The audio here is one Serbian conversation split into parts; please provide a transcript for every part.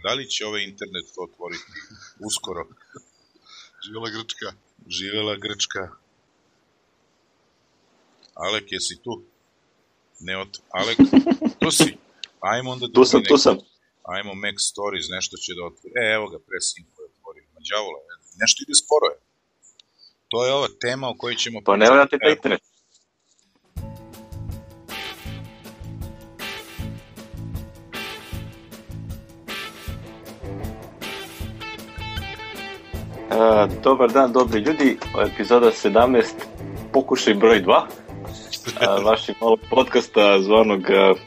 Da li će ovaj internet to otvoriti uskoro? Živjela Grčka. Živjela Grčka. Alek, jesi tu? Alek, tu si. Ajmo onda da tu sam. Ajmo Mac Stories, nešto će da otvori. Evo ga, Presinfo je otvorio. Mađavola, nešto ide sporo je. To je ova tema o kojoj ćemo... Pa ne vjerujete da internet. Dobar dan, dobri ljudi. Epizoda 17, pokušaj broj 2. Vašeg malog podcasta zvanog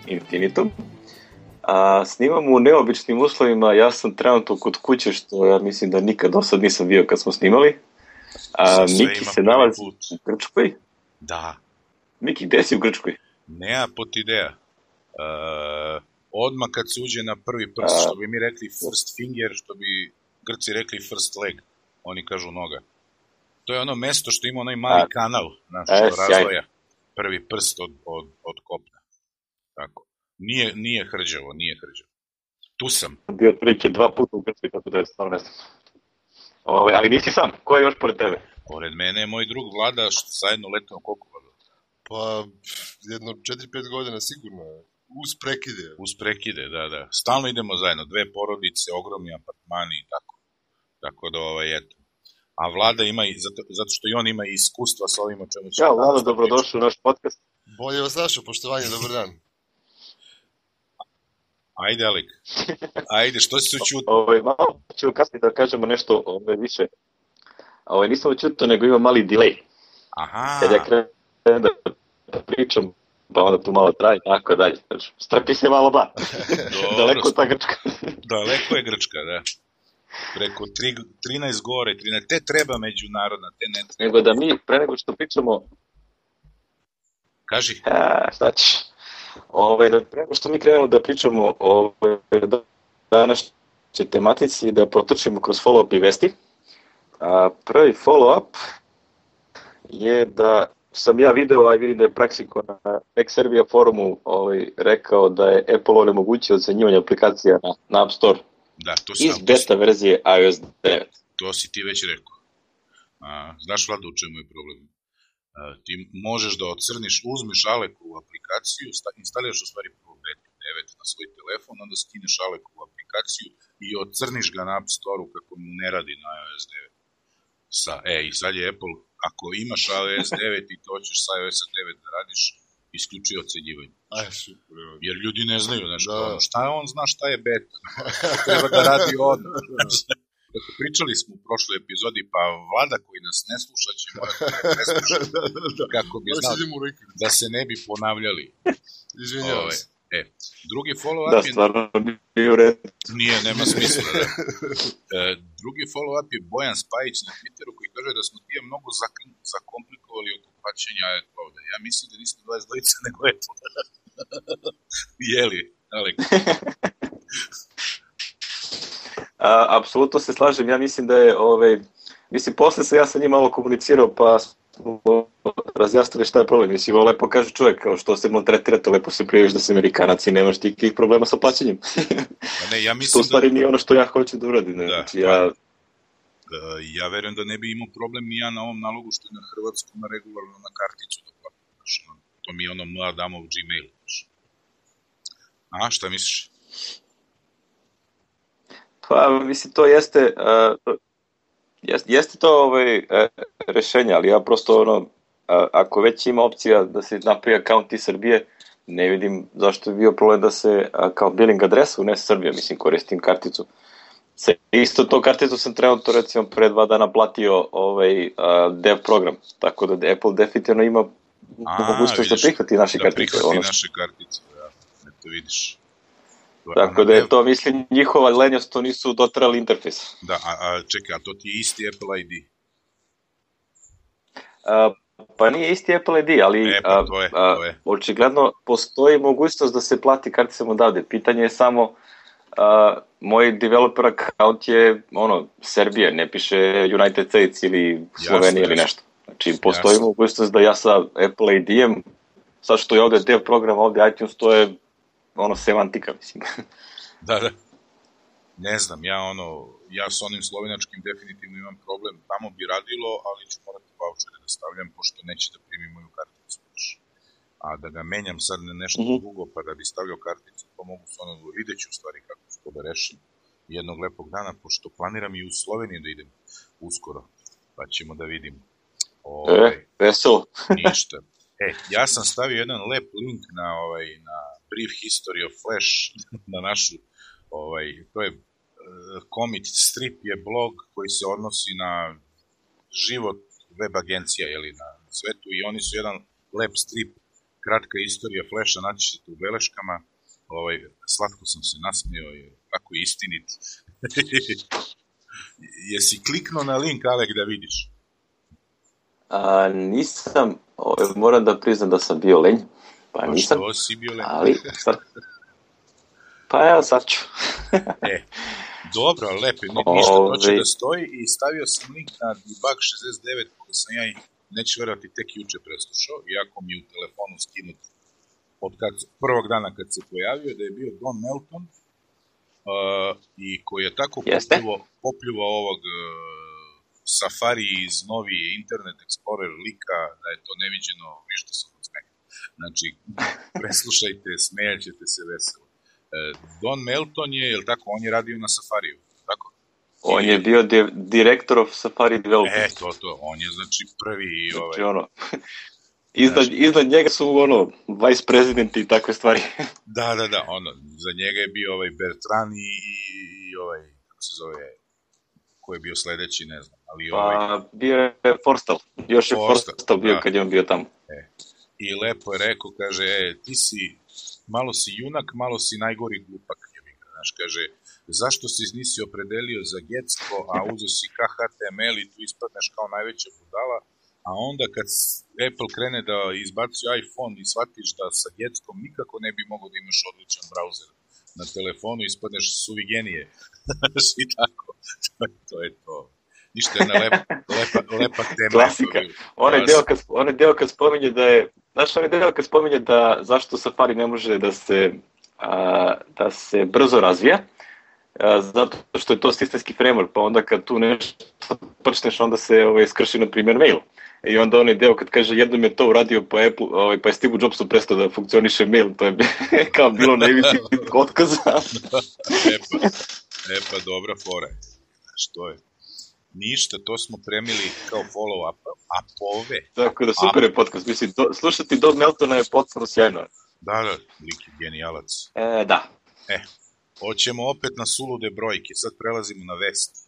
Infinitum. Snimamo u neobičnim uslovima. Ja sam trenutno kod kuće, što ja mislim da nikad do sad nisam bio kad smo snimali. Miki se nalazi u Grčkoj. Da. Miki, gde si u Grčkoj? Nea pot ideja. Odmah kad se uđe na prvi prst, što bi mi rekli first finger, što bi Grci rekli first leg. Oni kažu noga. To je ono mesto što ima onaj mali kanal, što razvoja prvi prst od kopna. Tako. Nije hrđavo. Tu sam. Bio otprilike 2 puta u Grčkoj, tako da je stvarno ne znam. Ali nisi sam, ko je još pored tebe? Pored mene je moj drug Vlada, što zajedno letimo koliko Vlada? Pa, jedno 4-5 godina sigurno. Uz prekide, da. Stalno idemo zajedno, 2 porodice, ogromni apartmani i tako. Tako da, eto. A Vlada ima, zato što i on ima iskustva sa ovim o čemu će... Ja, Vlada, dobrodošli u naš podcast. Bolje vas našao, poštovanje, dobar dan. Ajde, Alek. Ajde, što si se učuti? Malo ću kasnije da kažemo nešto više. Nisam učuto, nego ima mali delay. Aha. Kad ja krenem da pričam, pa onda tu malo traje, tako dalje. Strpi se malo ba. Daleko je ta Grčka. Daleko je Grčka, da. Preko 13 gore, 13, te treba međunarodna, te ne treba. Nego da mi, pre nego što pričamo... Kaži. Šta ćeš? Pre nego što mi krenemo da pričamo o današnjoj tematici, da protrčimo kroz follow-up i vesti. Prvi follow-up je da sam ja video, a vidim da je Praxiko na Mac Serbia forumu rekao da je Apple onemogućio ocenjivanje aplikacija na App Store. Da, iz beta verzije iOS 9. To si ti već rekao. Znaš, Vlada, u čemu je problem? Ti možeš da ocrniš, uzmeš Alekovu aplikaciju, instaliraš u stvari prvo beta 9 na svoj telefon, onda skineš Alekovu aplikaciju i ocrniš ga na App Store-u kako mu ne radi na iOS 9. I sad je Apple, ako imaš iOS 9 i to hoćeš sa iOS 9 da radiš, isključuje ocenjivanje. Jer ljudi ne znaju, šta on zna šta je beta. Treba da radi odmah. Dakle, pričali smo u prošloj epizodi, pa Vlada koji nas ne sluša će morati da ne sluša. Kako bi znali da se ne bi ponavljali. Izvinjavam se. Drugi follow-up je... Da, stvarno nije u redu. Nije, nema smisla. Drugi follow-up je Bojan Spajić na Twitteru koji kaže da smo ti mnogo zakomplikovali oko plaćanja AdCloud. Ja mislim da nismo 22, nego Apple. Jeli, Alek? Apsolutno se slažem. Ja mislim da je... posle sam ja sa njim malo komunicirao, pa razjasnili šta je problem. Mislim, ovo lepo kaže čovjek, kao što se maltretira, to lepo se prijaviš da si Amerikanac i nemaš tikih problema sa plaćanjem. Ja mislim to u stvari nije ono što ja hoću da uradim. Ja verujem da ne bi imao problem ni ja na ovom nalogu što je na hrvatskom regularno na karticu da platim. To mi je ono mladamov Gmail. Šta misliš? Pa, mislim, to jeste... Jeste to rešenje, ali ja prosto ako već ima opcija da se napravi akaunt iz Srbije, ne vidim zašto je bio problem da se kao billing adresa unese Srbija, mislim, koristim karticu. Isto to karticu sam trenutno, recimo, pre 2 dana platio dev program, tako da Apple definitivno ima mogućnost da prihvati naše kartice. Da prihvati naše kartice, da to vidiš. Tako da je to, mislim, njihova lenjost, to nisu dotrali interfejs. Da, čekaj, a to ti je isti Apple ID? Pa nije isti Apple ID, ali to je. Očigledno postoji mogućnost da se plati karticom odavde. Pitanje je samo, moj developer account je Serbija, ne piše United States ili Slovenija ili nešto. Znači, postoji mogućnost da ja sa Apple ID-em, sad što je ovde dev program, ovde iTunes, to je semantika, mislim. Da. ne znam, ja s onim slovenačkim definitivno imam problem, tamo bi radilo, ali ću morati vouchere da stavljam, pošto neće da primi moju karticu. A da ga menjam sad na nešto drugo, pa da bi stavljao karticu, pa mogu s videću u stvari kako ću to da rešim jednog lepog dana, pošto planiram i u Sloveniju da idem uskoro, pa ćemo da vidimo. Veselo. Ništa. Ja sam stavio jedan lep link na Brief History of Flash, na našu, to je Comic Strip je blog koji se odnosi na život web agencija, na svetu, i oni su jedan lep strip, kratka istorija Flasha, naći ćete u beleškama, slatko sam se nasmio, tako je istinit. Jesi kliknuo na link, Alek, da vidiš? Nisam, moram da priznam da sam bio lenj, pa nisam. Što si bio lenj? Ali, pa evo sad ću. Dobro, lepo, ništa, to će da stoji, i stavio sam link na Debug 69, koji sam ja, neću verovati, tek juče preslušao, iako mi u telefonu skinut od prvog dana kad se pojavio, da je bio Don Melton, i koji je tako popljuvao ovog Safari iz novi Internet Explorer lika, da je to neviđeno, vište sam od smeha. Znači, preslušajte, smejaćete se veselo. Don Melton je, jel tako, on je radio na Safariju, tako? On je bio direktor of Safari Development. To, on je, znači, prvi... Iznad njega su, vice president i takve stvari. Da, za njega je bio Bertrand i kako se zove, ko je bio sledeći, ne znam, ali bio je Forstall, još je Forstall bio kad je on bio tamo. I lepo je rekao, kaže, ti si, malo si junak, malo si najgori glupak, znaš, kaže, zašto si nisi opredelio za Getsko, a uzeo si KHTML i tu ispadneš kao najveća budala, a onda kad Apple krene da izbacuje iPhone i shvatiš da sa Getskom nikako ne bi mogao da imaš odličan browser na telefonu, ispadneš suvi genije. I tako, to je to. Ništa, jedna lepa tema. Klasika. Onaj deo kad spominje da je, znaš, onaj deo kad spominje da zašto Safari ne može da se brzo razvija, zato što je to sistemski framework, pa onda kad tu nešto počneš, onda se skrši, na primjer, mail. I onda onaj deo kad kaže, jednom je to uradio po Apple, pa je Steve Jobsu prestao da funkcioniše mail, to je kao bilo najviše otkaza. Pa dobra fora. Što je? Ništa, to smo premili kao follow-up, apove. Tako da, super je podcast, mislim, slušati Don Meltona je potpuno sjajno. Da, lik je genijalac. Da. Hoćemo opet na sulude brojke, sad prelazimo na vesti.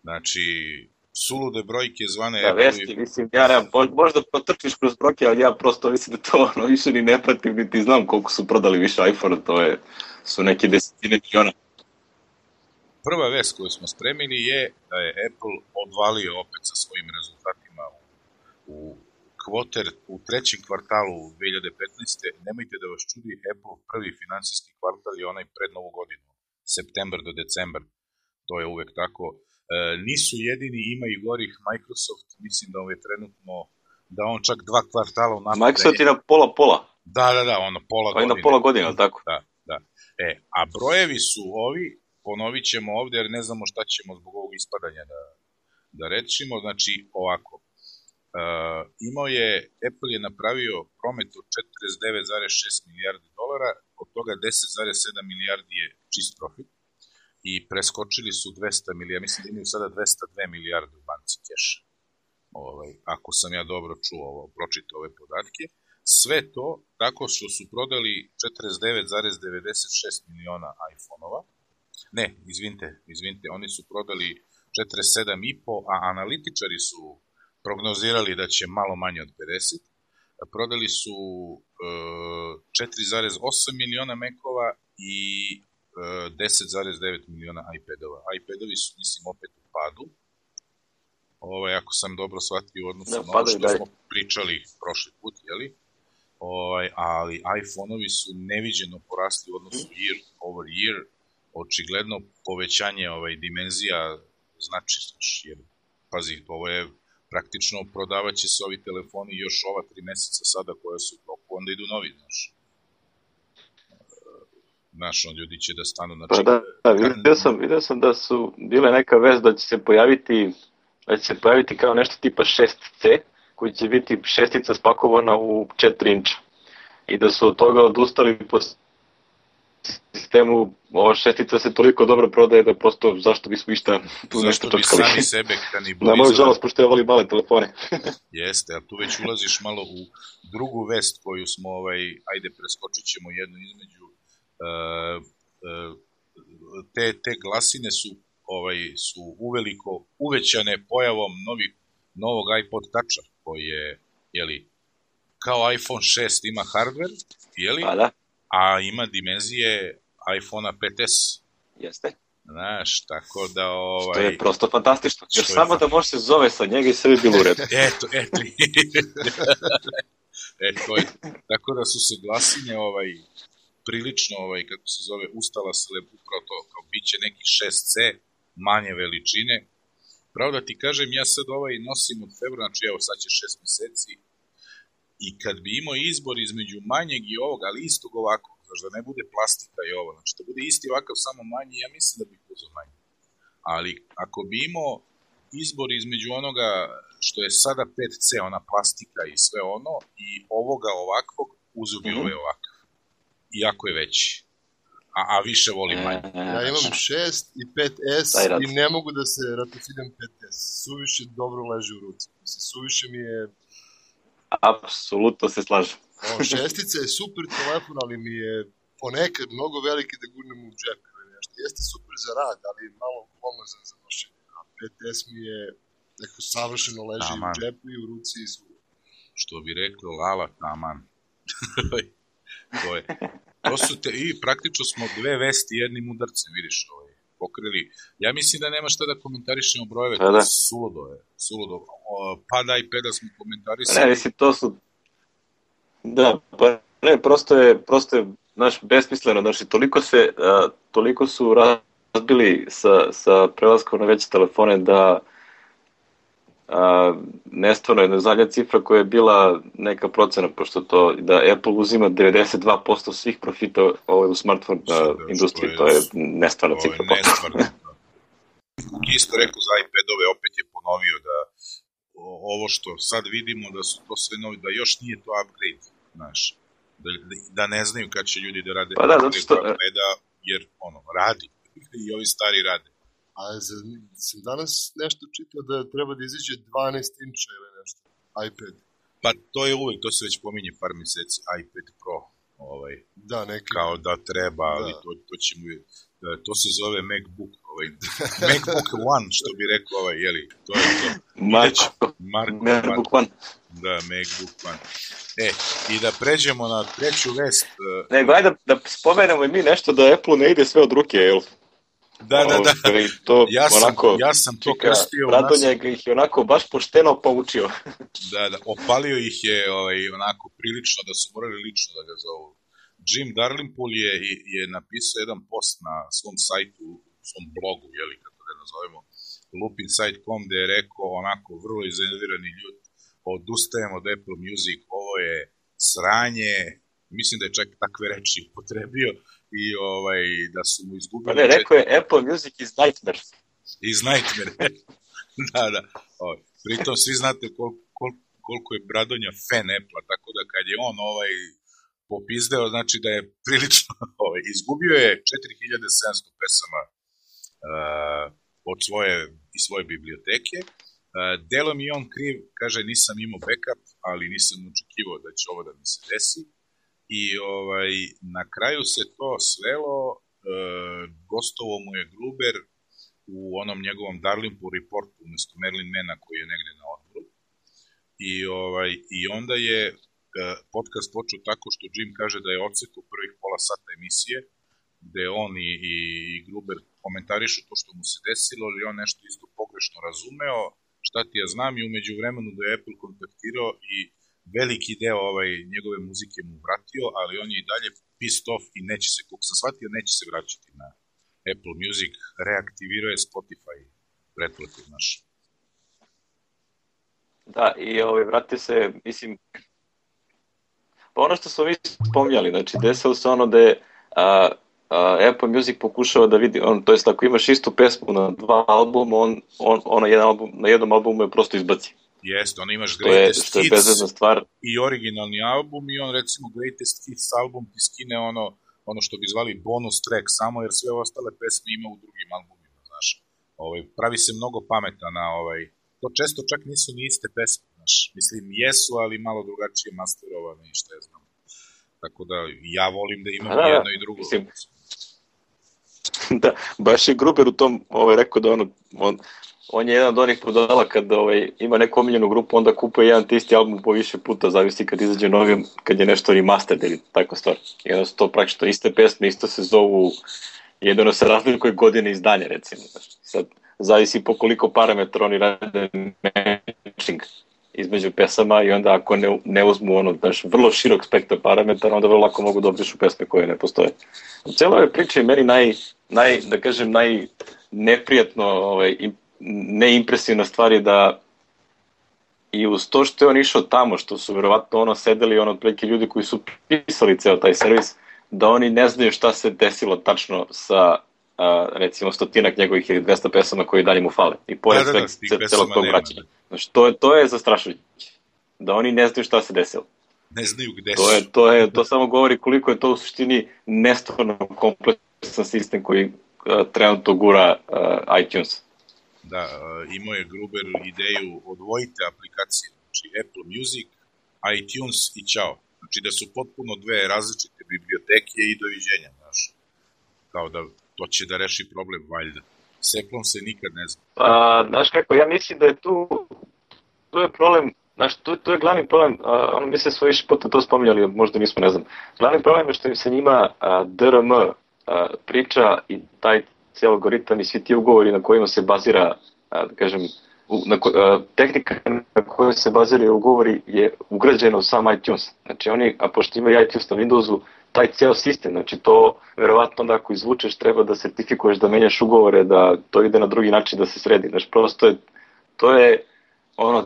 Znači, sulude brojke zvane... Da, vesti, mislim, ja nemam, možda protrčiš kroz brojke, ali ja prosto mislim da to više ni ne pratim, niti znam koliko su prodali više iPhone-a, su neke desetine miliona. Prva vest koju smo spremili je da je Apple odvalio opet sa svojim rezultatima u trećem kvartalu 2015. Nemojte da vas čudi, Apple prvi finansijski kvartal je onaj pred novu godinu, septembar do decembar, to je uvek tako. Nisu jedini, ima i gorih. Microsoft, mislim da je trenutno, da on čak 2 kvartala unapred. Microsoft je na pola. Da, pola godine. Na pola godine, tako? Da. A brojevi su ovi, ponovit ćemo ovde jer ne znamo šta ćemo zbog ovog ispadanja da rečimo. Znači, ovako, Apple je napravio promet od 49,6 milijardi dolara, od toga 10,7 milijardi je čist profit i preskočili su 200 milijardi, mislim da imaju sada 202 milijarde u banci keša. Ako sam ja dobro pročitao ove podatke. Sve to tako što su prodali 49,96 miliona iPhone-ova. Ne, izvinite, oni su prodali 47,5, a analitičari su prognozirali da će malo manje od 50. Prodali su 4,8 miliona Mac-ova i 10,9 miliona iPad-ova. iPad-ovi su, mislim, opet u padu. Ako sam dobro shvatio u odnosu na ono što smo pričali prošli put, jeli? Ali iPhone-ovi su neviđeno porasli u odnosu year over year. Očigledno povećanje dimenzija znači, jer, pazi, ovo je praktično prodavat će se ovi telefoni još ova 3 meseca sada koje su u toku, onda idu novi, znaš. Znaš, ljudi će da stanu na Pa da, vidio sam da su bile neka vest da će se pojaviti kao nešto tipa 6C, koji će biti šestica spakovana u 4 inča. I da su od toga odustali po sistemu, ova šestica se toliko dobro prodaje da prosto zašto bismo išta tu nešto čočkali. Zašto bi sami sebe kanibalizovali? Na moju žalost, pošto ja volim male telefone. Jeste, a tu već ulaziš malo u drugu vest koju smo, ajde preskočit ćemo jednu između. Te glasine su uveliko uvećane pojavom novog iPod Toucha, koji je, kao iPhone 6 ima hardware, a ima dimenzije iPhone-a 5S. Jeste. Znaš, tako da... Što je prosto fantastično. Još samo da može se zove sa njega i sve bi bilo u redu. Eto. Tako da su se glasine prilično, kako se zove, ustala se upravo to, kao bit će neki 6C, manje veličine. Pravo da ti kažem, ja sad nosim od februara, znači evo sad će 6 meseci, i kad bi imao izbor između manjeg i ovoga, ali istog ovako, znači da ne bude plastika i ovo, znači da bude isti ovakav, samo manji, ja mislim da bih uzeo manji. Ali ako bi imao izbor između onoga što je sada 5C, ona plastika i sve ono, i ovoga ovakvog, uzeo bi ove ovakav. Iako je veći. A više volim manje. Ja imam 6 i 5S i ne mogu da se ratocidem 5S. Suviše dobro leži u ruci. Suviše mi je... Apsolutno se slažem. Šestica je super telefon, ali mi je ponekad mnogo veliki da gurnem u džep. Jeste super za rad, ali je malo glomazan za nošenje. A 5S mi je neko savršeno leži u džepu i u ruci i svuda. Što bi rekli, lala taman. To su i praktično smo dve vesti jednim udarcem, vidiš, pokrili. Ja mislim da nema šta da komentarišemo brojeve, to je suludo. Pad iPada smo komentarisali. Ne, mislim, to su... Da, pa ne, prosto je, besmisleno, znači, toliko su razbili sa prelaskom na veće telefone da nestvarno je zadnja cifra koja je bila neka procena, pošto to da Apple uzima 92% svih profita u smartphone industriji, to je nestvarna cifra. Isto rekao za iPadove, opet je ponovio da ovo što sad vidimo da su to sve novi, da još nije to upgrade, znaš, da ne znaju kad će ljudi da rade upgrade iPada, jer radi i ovi stari rade. A sam danas nešto čitao da treba da izađe 12 inča ili nešto, iPad. Pa to je uvek, to se već pominje par meseci, iPad Pro, da, neki. Kao da treba, ali to će mu, to se zove MacBook, MacBook One, što bi rekao to je to. MacBook One. Da, MacBook One. I da pređemo na treću vest. Nego, ajde da spomenemo i mi nešto da Apple ne ide sve od ruke, jel? Da. Ja sam to krstio. Radonjeg ih je onako baš pošteno poučio. Da, opalio ih je onako prilično da su morali lično da ga zovu. Jim Dalrymple je napisao jedan post na svom sajtu, svom blogu, kako da nazovemo, loopinsight.com, gde je rekao onako vrlo iznervirani ljudi, odustajemo od Apple Music, ovo je sranje, mislim da je čak takve reči upotrebio, i da su mu izgubili... Ne, rekao je Apple Music is nightmare. Is nightmare, da. Pritom svi znate koliko je Bradonja fan Apple-a, tako da kad je on popizdeo, znači da je prilično... izgubio je 4700 pesama od svoje biblioteke. Delom i on kriv, kaže nisam imao backup, ali nisam očekivao da će ovo da mi se desi. I na kraju se to svelo, gostovo mu je Gruber u onom njegovom Dalrymple reportu umjesto Merlin Mana koji je negde na odboru. I onda je podcast počeo tako što Jim kaže da je odsekao prvih pola sata emisije, gde on i Gruber komentarišu to što mu se desilo, ali on nešto isto pogrešno razumeo, šta ti ja znam, i umeđu vremenu da je Apple kontaktirao i veliki deo njegove muzike mu vratio, ali on je i dalje pissed off i neće se, kako sam shvatio, neće se vraćati na Apple Music, reaktivirao je Spotify pretplatu naš. Da, i vratio se, mislim, pa ono što smo mi spomnjali, znači desilo se ono da je Apple Music pokušava da vidi, to jest ako imaš istu pesmu na dva albuma, on na jednom albumu je prosto izbaci. Jeste, on imaš Greatest Hits i originalni album i on recimo Greatest Hits album ti skine ono što bi zvali bonus track samo jer sve ostale pesme ima u drugim albumima, znaš. Pravi se mnogo pameta na to često čak nisu ni iste pesme, znaš. Mislim, jesu, ali malo drugačije masterovane i šta je znam. Tako da ja volim da imam jedno i drugo. Mislim, da, baš je Gruber u tom rekao da on je jedan od onih prodala kad ima neku omiljenu grupu, onda kupuje jedan te isti album po više puta, zavisi kad izađe novi, kad je nešto remastered ili takva stvar. I onda su to praktično iste pesme, isto se zovu, jedino se razlikuje godine izdanja, recimo. Sad, zavisi po koliko parametra oni rade matching između pesama i onda ako ne uzmu vrlo širok spektar parametara, onda vrlo lako mogu da obrišu pesme koje ne postoje. U celoj ovoj priči je meni najneprijatno neimpresivna stvar je da i uz to što je on išao tamo, što su verovatno sedeli otprilike ljudi koji su pisali ceo taj servis, da oni ne znaju šta se desilo tačno sa recimo 100 njegovih ili 200 pesama koji dalje mu fale. I pored celog tog vraćanja. Znači, to je zastrašujuće. Da oni ne znaju šta se desilo. Ne znaju gde su. To samo govori koliko je to u suštini nestvarno kompleksan sistem koji trenutno gura iTunes. Da, imao je Gruber ideju odvojite aplikacije, znači Apple Music, iTunes i ćao. Znači da su potpuno dve različite biblioteke i doviđenja, znaš. Kao da to će da reši problem, valjda. S Apple-om se nikad ne zna. Znaš kako, ja mislim da je tu je problem, znaš, tu je glavni problem, mi se sve više puta to spominjali, možda nismo, ne znam. Glavni problem je što im se njima DRM priča i taj cijel algoritam i svi ti ugovori na kojima se bazira, da kažem, tehnika na kojoj se baziraju ugovori je ugrađena u sam iTunes. Znači oni, a pošto imaju iTunes na Windowsu, taj cijel sistem, znači to verovatno da ako izvučeš treba da sertifikuješ, da menjaš ugovore, da to ide na drugi način da se sredi. Znači prosto to je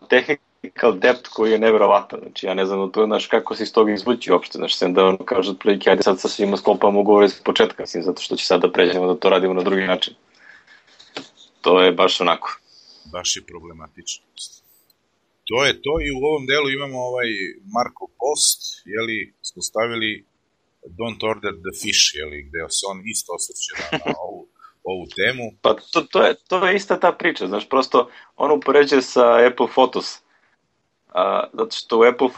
technical depth koji je neverovatan. Znači ja ne znam znaš, kako se iz toga izvući uopšte. Znači sem da kaže otprilike ajde sad sa svima sklopamo ugovore iz početka, mislim, zato što će sad da pređemo da to radimo na drugi način. To je baš onako. Baš je problematično. To je to i u ovom delu imamo Markov post, smo stavili Don't Order the Fish, gde se on isto osvrće na ovu temu. Pa to je ista ta priča, znaš, prosto on upoređuje sa Apple Photos, zato što u Apple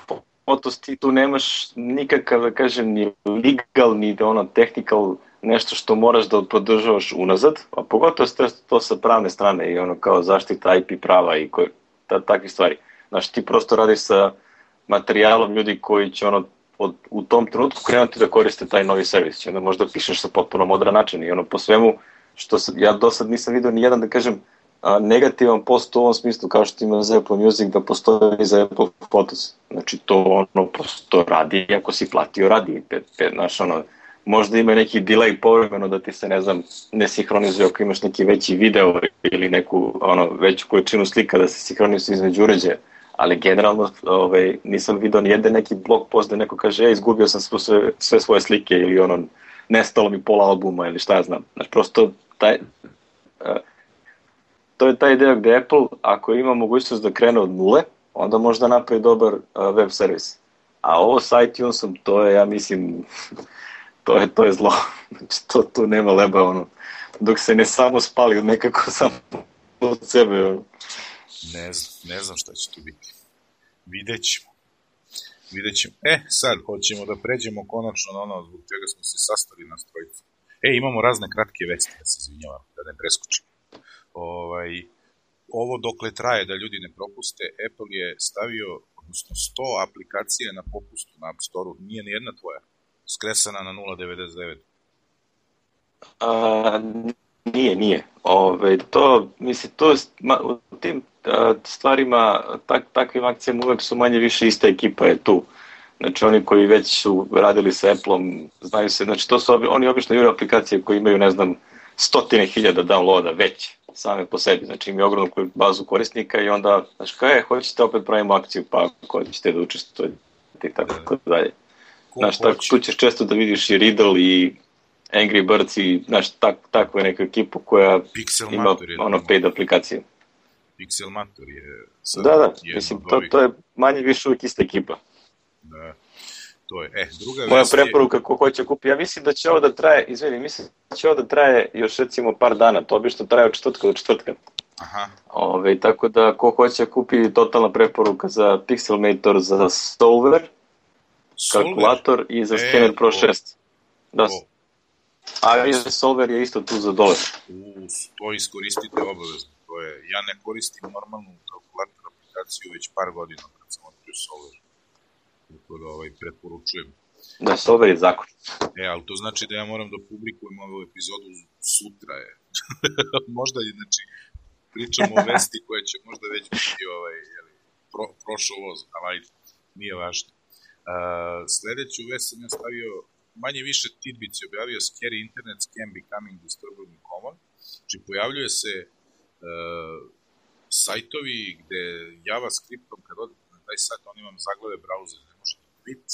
Photos ti tu nemaš nikakav, da kažem, ni legal, ni technical nešto što moraš da podržavaš unazad, a pogotovo to sa pravne strane i kao zaštita IP prava i takve stvari. Znaš, ti prosto radiš sa materijalom ljudi koji će u tom trenutku krenuti da koriste taj novi servis. Onda možda pišeš sa potpuno modran način i po svemu što ja do sad nisam vidio ni jedan, da kažem, negativan post u ovom smislu kao što ima za Apple Music da postoji za Apple Photos. Znači to prosto radi, ako si platio radi. Znaš, možda ima neki delay povremeno da ti se, ne znam, ne sinhronizuje ako imaš neki veći video ili neku veću količinu slika da se sinhronizuje između uređaja. Ali generalno nisam vidio ni jedan neki blog post da neko kaže izgubio sam sve svoje slike ili nestalo mi pola albuma ili šta ja znam. Znači prosto to je taj ideja gde Apple ako ima mogućnost da krene od nule, onda može da napravi dobar web servis. A ovo sa iTunesom, to je, ja mislim, to je zlo. Znači tu nema leba, dok se ne samo spali nekako samo od sebe. Ne znam šta će tu biti. Vidjet ćemo. Sad hoćemo da pređemo konačno na ono zbog čega smo se sastali na strojicu. Imamo razne kratke vesti, da se izvinjavam, da ne preskočim. Ovo dokle traje da ljudi ne propuste, Apple je stavio, odnosno 100 aplikacije na popustu na App Store-u, nije ni jedna tvoja, skresana na 0,99. Nije. U tim stvarima, takvim akcijama uvek su manje više ista ekipa je tu. Znači oni koji već su radili sa Apple-om, znaju se, znači to su oni obično jure aplikacije koji imaju, ne znam, 100.000 downloada već, same po sebi. Znači imaju ogromnu bazu korisnika i onda, znači hoćete opet pravimo akciju, pa ako hoćete da učestvujete i tako dalje. Znači tu ćeš često da vidiš i Riddle i Angry Birds i takvu neku ekipu koja ima paid aplikacije. Pixelmator je Da, mislim, to je manje više uvijek ista ekipa. Da, to je. Druga moja preporuka ko hoće kupi, ja mislim da će ovo da traje, još recimo par dana, to bi što traje od četvrtka do četvrtka. Aha. Tako da ko hoće kupi, totalna preporuka za Pixelmator, za Solver, kalkulator i za Scanner Pro 6. Da. A Solver je isto tu za $1. To iskoristite obavezno. Ja ne koristim normalnu kalkulator aplikaciju već par godina kad sam otkrio Solver. Tako da preporučujem. Da, Solver je zakon. Ali to znači da ja moram da publikujem ovu epizodu sutra. Možda je, znači, pričamo o vesti koja će možda već biti prošao voz, ali nije važno. Sledeću vest sam ja stavio, manje više Tidbits je objavio Scary Internet Scam Becoming Disturbingly Common. Znači, pojavljuje se sajtovi gde JavaScriptom, kad odete na taj sajt, oni vam zaglave browser, ne može ni quit,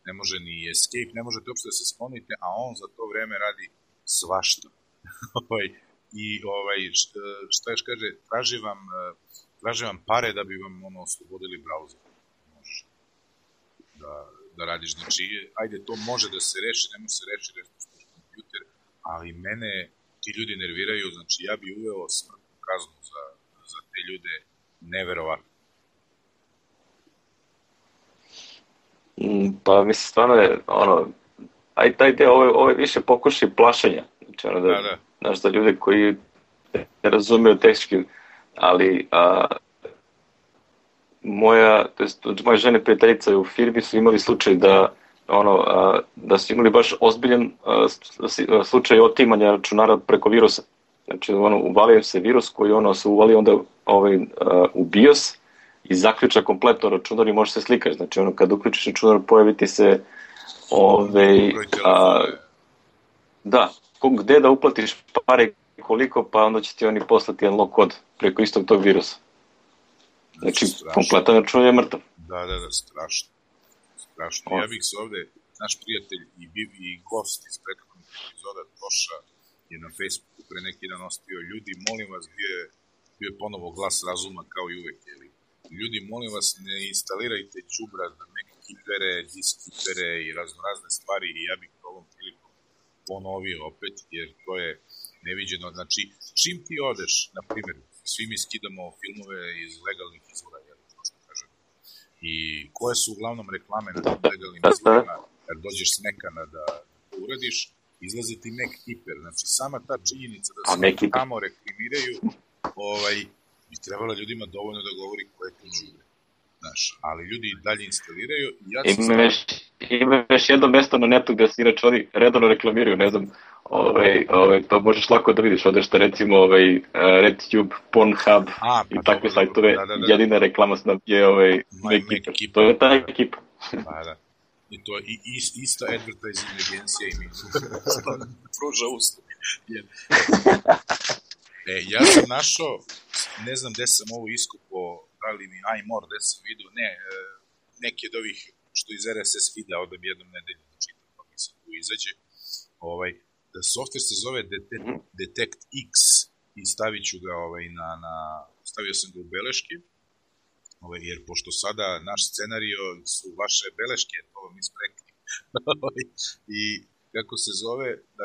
ne može ni escape, ne možete uopšte da se sklonite, a on za to vreme radi svašta. I šta još kaže, traži vam pare da bi vam oslobodili browser. Može da radiš. Znači, ajde, to može da se reši, ne može se reši, reši kompjuter, ali mene ti ljudi nerviraju, znači ja bi uveo smrtnu kaznu za te ljude, neverovatno. Pa mislim, stvarno je, taj deo, ovo je više pokušaj plašenja. Znači, znaš, za ljude koji ne razumiju tehnički, ali moja žena prijateljica u firmi su imali slučaj da su imali baš ozbiljan slučaj otimanja računara preko virusa. Znači, uvalio se virus koji se uvalio onda u BIOS i zaključa kompletno računar i može se slikati. Znači, kad uključiš računar, pojaviti se da, gde da uplatiš pare koliko, pa onda će ti oni poslati jedan log kod preko istog tog virusa. Znači, kompletan račun je mrtav. Da, strašno. Ja bih se ovde, naš prijatelj i gost iz prethodnog epizoda Toša je na Facebooku pre neki dan ostavio, ljudi, molim vas, bio je ponovo glas razuma kao i uvek, ljudi, molim vas, ne instalirajte đubrad na Mac kipere, disk kipere i raznorazne stvari, i ja bih ovom prilikom ponovio opet, jer to je neviđeno. Znači, čim ti odeš, na primjer, svi mi skidamo filmove iz legalnih izvora, i koje su uglavnom reklame na tim legalnim izvorima, jer dođeš s Mekana da to uradiš, izlazi ti Mac Keeper. Znači, sama ta činjenica da se tamo reklamiraju, bi trebalo ljudima dovoljno da govori koje tu žure. Znaš, ali ljudi dalje instaliraju. Imaš jedno mesto na netu gde se inače oni redovno reklamiraju, ne znam, to možeš lako da vidiš, odeš da recimo RedTube, Pornhub i takve sajtove, jedina reklama je Mac. To je ta ekipa. Da. I to je ista advertising agencija i mi pruža usluge. Ja sam našao, ne znam gde sam ovo iskupao, da li mi iMore, gde sam vidio, neki od ovih što iz RSS feeda odem jednom nedelju da čitam, pa mi se tu izađe. Da software se zove Detect X i stavit ću ga stavio sam ga u beleške, jer pošto sada naš scenario su vaše beleške, to vam isprekli. I kako se zove, da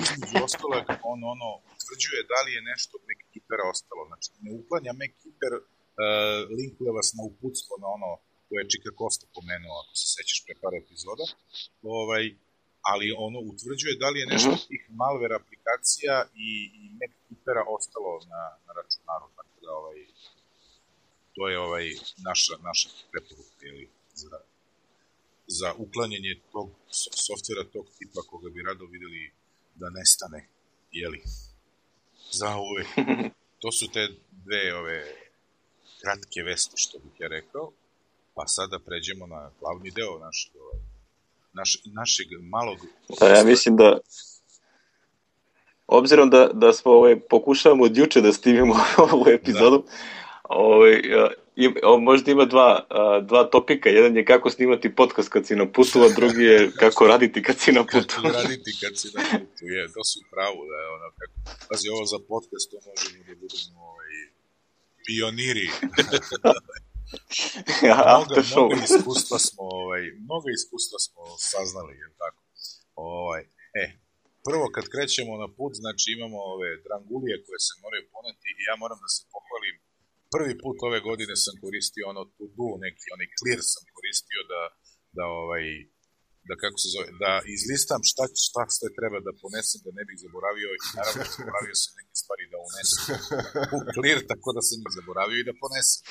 između ostalog on utvrđuje da li je nešto od Mac Keepera ostalo. Znači, ne uklanja Mac Keeper, linkuje vas na uputstvo na koje je Čika Kosta pomenuo, ako se sećaš pre par epizoda, ali utvrđuje da li je nešto od tih malware aplikacija i Mac Keepera ostalo na računaru, tako da to je naša preporuka, za uklanjanje tog softvera, tog tipa koga bi rado videli da nestane, za uvek. To su te dve kratke vesti, što bih ja rekao, pa sada pređemo na glavni deo našeg malog... Ja mislim da, obzirom da smo pokušavamo od juče da stivimo ovu epizodu, možda ima dva topika. Jedan je kako snimati podcast kad si na putu, a drugi je kako raditi kad si na putu. Kako raditi kad si na putu, to su pravo, da je ono kako... Pazi, ovo za podcast, to možemo da budemo pioniri. Mnogo iskustva smo saznali, je tako? Prvo kad krećemo na put, znači imamo ove drangulije koje se moraju poneti i ja moram da se pohvalim. Prvi put ove godine sam koristio neki clear sam koristio da kako se zove, da izlistam šta sve treba da ponesem, da ne bih zaboravio i naravno zaboravio sam neke stvari da unesem u clear, tako da sam ih zaboravio i da ponesem.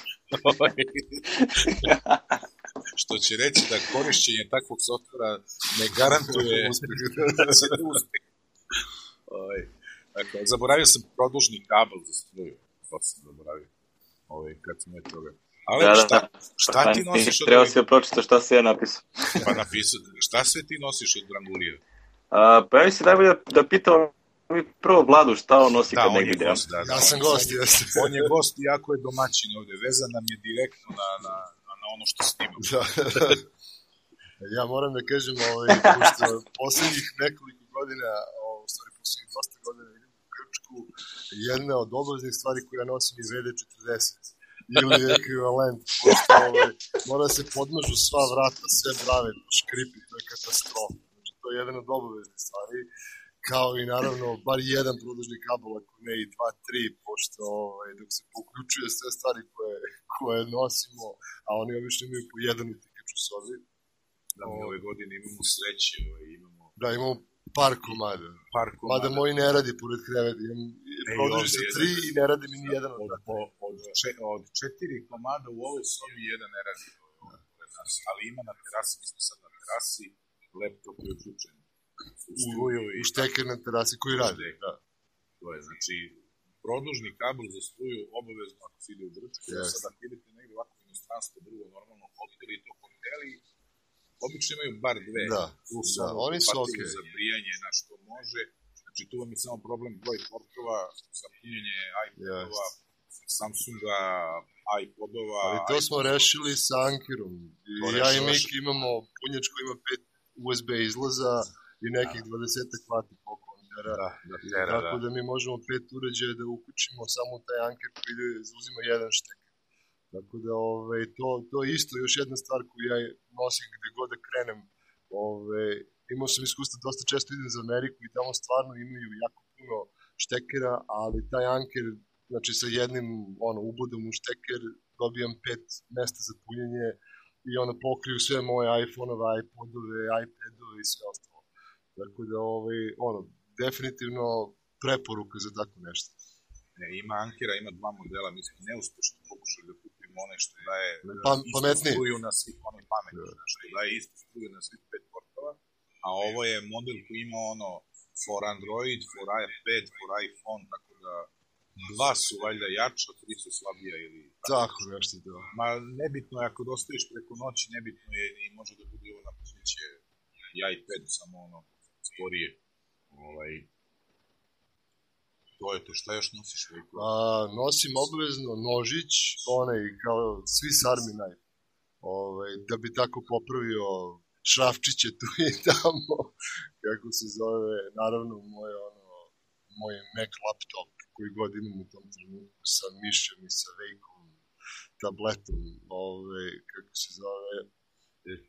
Što će reći da korišćenje takvog softvera ne garantuje uspeh. Dakle, zaboravio sam produžni kabel za struju. To sam zaboravio. Kad smo je toga. Ali šta ti nosiš od... Treba si da pročito šta se ja napisao. Pa napisao. Šta sve ti nosiš od drangulija? Pa ja mislim najbolje da pitao prvo Vladu šta on nosi kad negdje idemo. Ja sam gost, jesam. On je gost i jako je domaćin ovde. Vezan nam je direktno na ono što snimam. Ja moram da kažem, pošto poslednjih nekoliko godina, poslednjih dosta godina idem u Grčku, jedna od obaveznih stvari koje ja nosim je VD40 ili ekvivalent, pošto mora se podmažu sva vrata, sve brave, škripi, to je katastrofa. Znači, to je jedan od obaveznih stvari, kao i naravno bar jedan produžni kabel, ako ne i 2-3, pošto dok se poključuje sve stvari koje nosimo, a oni obično imaju po jedan utikač u sobi. Da, mi ove godine imamo sreće, imamo... Da, imamo par komada. Mada moji ne radi pored kreveta. Produži se 3 i ne radi mi ni jedan od od 4 komada u ovoj sobi jedan ne radi pored nas. Ali ima na terasi, mi smo sad na terasi, laptop je uključen. U šteker na terasi koji radi. Da. To je, znači, produžni kabel za struju obavezno ako se ide u Grčku. Sad ako idete negdje ovako u inostranstvo, drugo, normalno hoteli i to hoteli, obično imaju bar dve, plus oni su okej. Za brijanje na što može. Znači tu vam je samo problem broj portova, za punjenje iPadova, Samsunga, iPodova. Ali to smo rešili sa Ankerom. Ja i Miki imamo punjač koji ima 5 USB izlaza i nekih 20 vati po kontera. Tako da mi možemo 5 uređaja da uključimo samo taj Anker koji uzima jedan štek. Tako da to je isto još jedna stvar koju ja nosim gde god da krenem. Imao sam iskustvo, dosta često idem za Ameriku i tamo stvarno imaju jako puno štekera, ali taj Anker, znači sa jednim ubodom u šteker dobijam 5 mesta za punjenje i pokriju sve moje iPhone-ove, iPodove, iPadove i sve ostalo. Tako da definitivno preporuka za tako nešto. Ima Ankera, ima 2 modela, mi smo neuspešno pokušali da kupimo one što daje istu struju na svih pametni, što daje istu struju na svih 5 portova, a ovo je model koji ima for Android, for iPad, for iPhone, tako da 2 su valjda jača, 3 su slabija ili... Tako nešto da. Ma nebitno je, ako dostaviš preko noći, nebitno je i može da bude ovo napućiće i iPad, samo sporije. To je to, šta još nosiš? Nosim obavezno nožić, kao svi sarmi knife, da bi tako popravio šrafčiće tu i tamo, kako se zove, naravno moj Mac laptop koji god imam u tom trenutku sa mišem i sa vejkom, tabletom, kako se zove.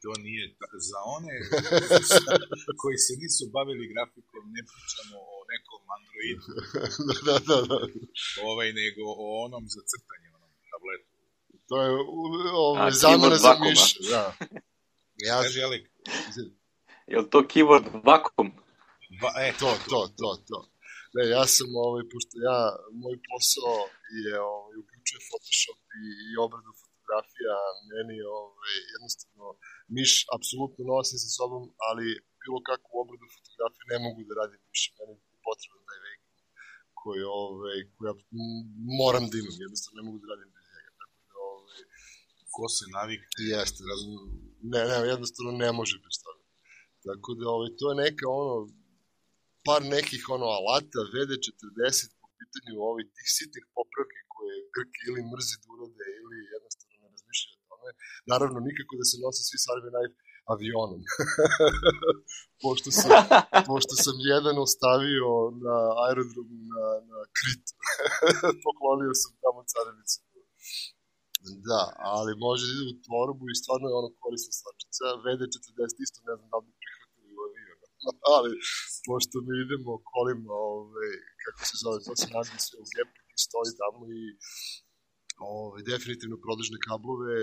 To nije, za one koji se nisu bavili grafikom, ne pričamo o nekom Androidu, nego o onom za crtanje, tabletu. To je zamena za miš. Je li to keyboard vakum? To. Ne, ja sam, pošto moj posao je, uključuje Photoshop i obradu fotografija, meni jednostavno miš apsolutno nosim sa sobom, ali bilo kakvu obradu fotografije ne mogu da radim miš, meni je potreban taj vek koji moram da imam, jednostavno ne mogu da radim bez njega, tako da ko se navik? Jeste, ne, jednostavno ne može bez toga. Tako da to je neka par nekih alata VD40 po pitanju tih sitnih popravki koje Grki ili mrzi da urade ili jednostavno Naravno, nikako da se nose svi Survey Knife avionom. pošto sam jedan ostavio na aerodromu na Kritu. Poklonio sam tamo carevnicu. Da, ali može da ide u torbu i stvarno je ono korisna stvarčica. VD40 isto ne znam da bi prihvatili u avionu. Ali, pošto mi idemo kolima, kako se zove, to se nazvi sve u gepu i stoji tamo i definitivno prodažne kablove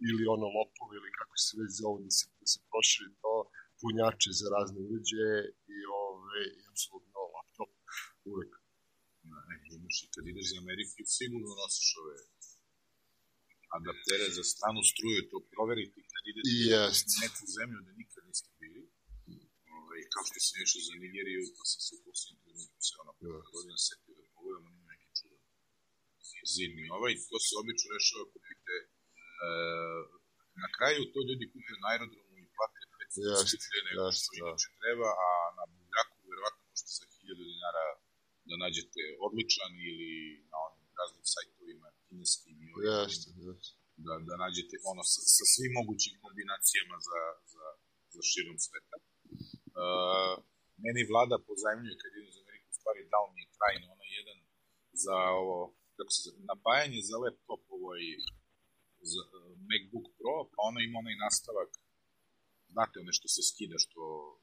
ili ono lopove ili kako se već zove da se proširi to, punjače za razne uređaje i apsolutno laptop uvek. Imaš i kad ideš za Ameriku sigurno nosiš ove adaptere za stranu struju, to proveriti kad ideš u neku zemlju da nikad niste bili. Kao što sam išao za Nigeriju, pa sam se u posljednjem trenutku se godina setio da pogledamo neki čudan zidni to se obično rešava kupite na kraju to ljudi kupuju na aerodromu i plate 500 skuplje nego što inače treba, a na Buljaku verovatno možete za 1000 dinara da nađete odličan ili na onim raznim sajtovima kineskim da nađete ono sa svim mogućim kombinacijama za širom sveta. Meni vlada pozajmljuje kad idem za Ameriku, u stvari dao mi je trajno ono jedan za ovo, kako se zove, napajanje za laptop za MacBook Pro, pa ono ima onaj nastavak, znate ono što se skida,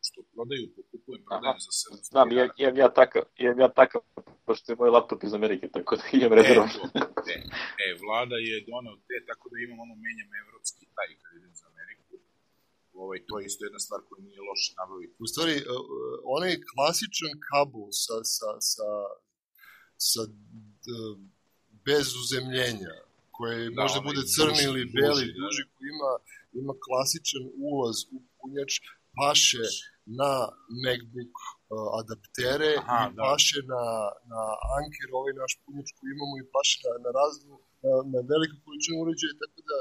što prodaju, pokupujem, prodajem za 700 znam, imam ja takav, pošto je moj laptop iz Amerike, tako da imam rezervom. Vlada je donao te, tako da imam ono, menjam evropski taj kad idem za Ameriku. To je isto jedna stvar koja nije loše nabaviti. U stvari, onaj klasičan kabel sa bez uzemljenja, koji možda bude crni ili beli, duži, koji ima klasičan ulaz u punjač, paše na MacBook adaptere i paše na Anker, ovaj naš punjač koji imamo i paše na raznu, na veliku količinu uređaja, tako da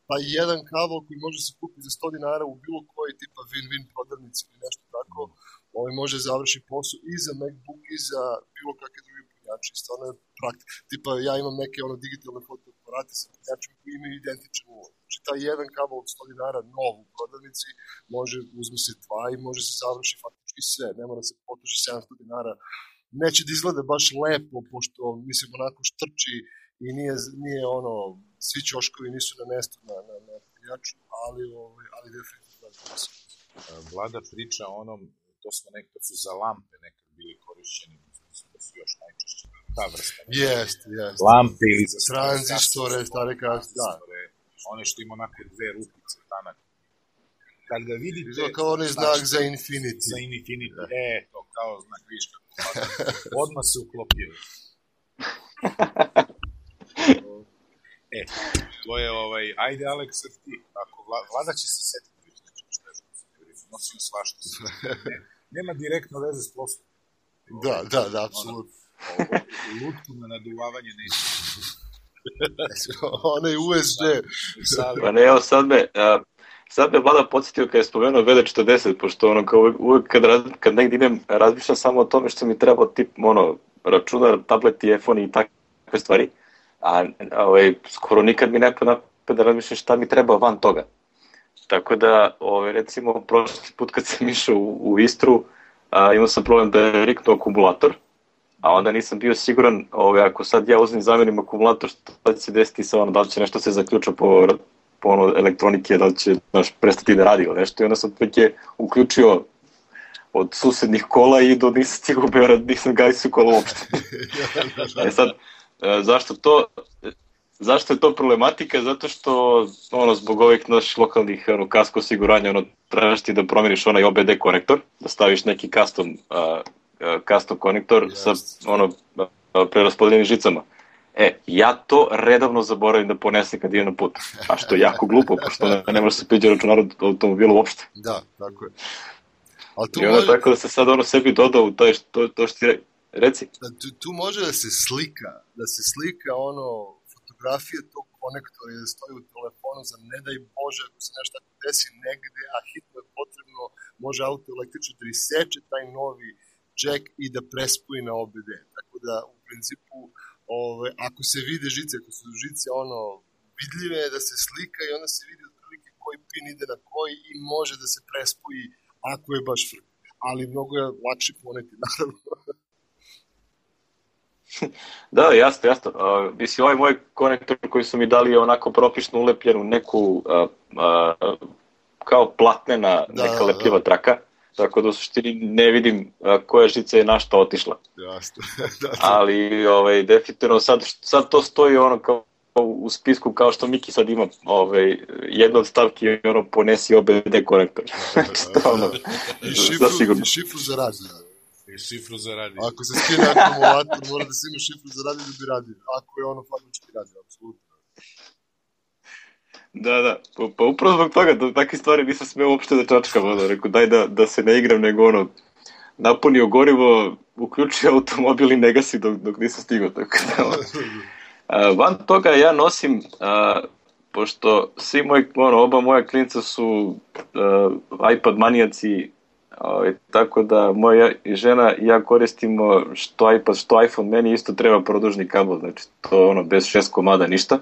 pa jedan kabel koji može se kupiti za 100 dinara u bilo koji tipa win-win prodavnici ili nešto tako, može završi posao i za MacBook i za bilo kakve druge punjače. Stvarno je tipa ja imam neke digitalne fotoaparate sa punjačima koji imaju identičan ulaz. Znači taj jedan kabel od 100 dinara nov u prodavnici uzme se dva i može se završi faktički sve. Ne mora se potroši 700 dinara. Neće da izgleda baš lepo, pošto mislim onako štrči i nije svi ćoškovi nisu na mestu na punjaču, ali definitivno da se. Vlada priča o onom, to su za lampe nekad bili korišćeni, to su još najčešće ta vrsta. Jeste. Lampe ili za tranzistore, stare tranzistore, one što ima onako dve rupice, tanak. Kad ga vidite... To kao onaj znak za Infinity. Za Infinity, to kao znak viška. Odmah se uklopio. To je ajde Alex, ti, ako vlada će se setiti već nečega što je nosim svašta. Nema direktno veze s poslom. Da, apsolutno. Lutku na naduvavanje neće. Ono je USB. Pa ne, evo sad me vlada podsjetio kad je spomenuo VD40, pošto kao uvek kad negdje idem razmišljam samo o tome što mi treba tip računar, tablet, iPhone i takve stvari. A skoro nikad mi ne pada da razmišljam šta mi treba van toga. Tako da, recimo, prošli put kad sam išao u Istru, imao sam problem da je riknuo akumulator, a onda nisam bio siguran, ako sad ja uzmem zamenim akumulator, šta će se desiti sa da li će nešto se zaključa po elektronike, da li će prestati da radi ili nešto, i onda sam je uključio od susednih kola i nisam stigao Beograd, nisam gasio kola uopšte. Sad, zašto je to problematika? Zato što zbog ovih naših lokalnih kasko osiguranja trebaš ti da promeniš onaj OBD konektor, da staviš neki custom konektor sa preraspodeljenim žicama. Ja to redovno zaboravim da ponesem kad idem na put, a što je jako glupo, pošto ne može se priđe računar od automobila uopšte. Da, tako je. I onda tako da se sad sebi dodao u to što ti reci. Tu može da se slika fotografije tog konektora i da stoji u telefonu za ne daj Bože ako se nešto desi negde, a hitno je potrebno, može auto električno da iseče taj novi jack i da prespoji na OBD. Tako da u principu ako se vide žice, ako su žice vidljive, da se slika i onda se vidi otprilike koji pin ide na koji i može da se prespoji ako je baš frk. Ali mnogo je lakše poneti, naravno. Da, jasno. Mislim, ovaj moj konektor koji su mi dali je onako propišno ulepljenu neku kao platnena neka lepljiva traka, tako da u suštini ne vidim koja žica je na šta otišla. Jasno. Ali definitivno sad to stoji ono kao u spisku kao što Miki sad ima jedna od stavki je ono ponesi OBD konektor. I šifru za radio. I šifru za radio. Ako se skine akumulator, mora da se ima šifru za radio da bi radio. Ako je ono fabrički radio, apsolutno. Da. Pa upravo zbog toga, da takve stvari nisam smeo uopšte da čačkam. Rekao, daj da se ne igram, nego ono, napunio gorivo, uključio automobil i ne gasi dok nisam stigao. Tako da, van toga ja nosim, pošto svi oba moja klinca su iPad manijaci, tako da moja žena i ja koristimo što iPad, što iPhone, meni isto treba produžni kabel, znači to ono bez 6 komada ništa,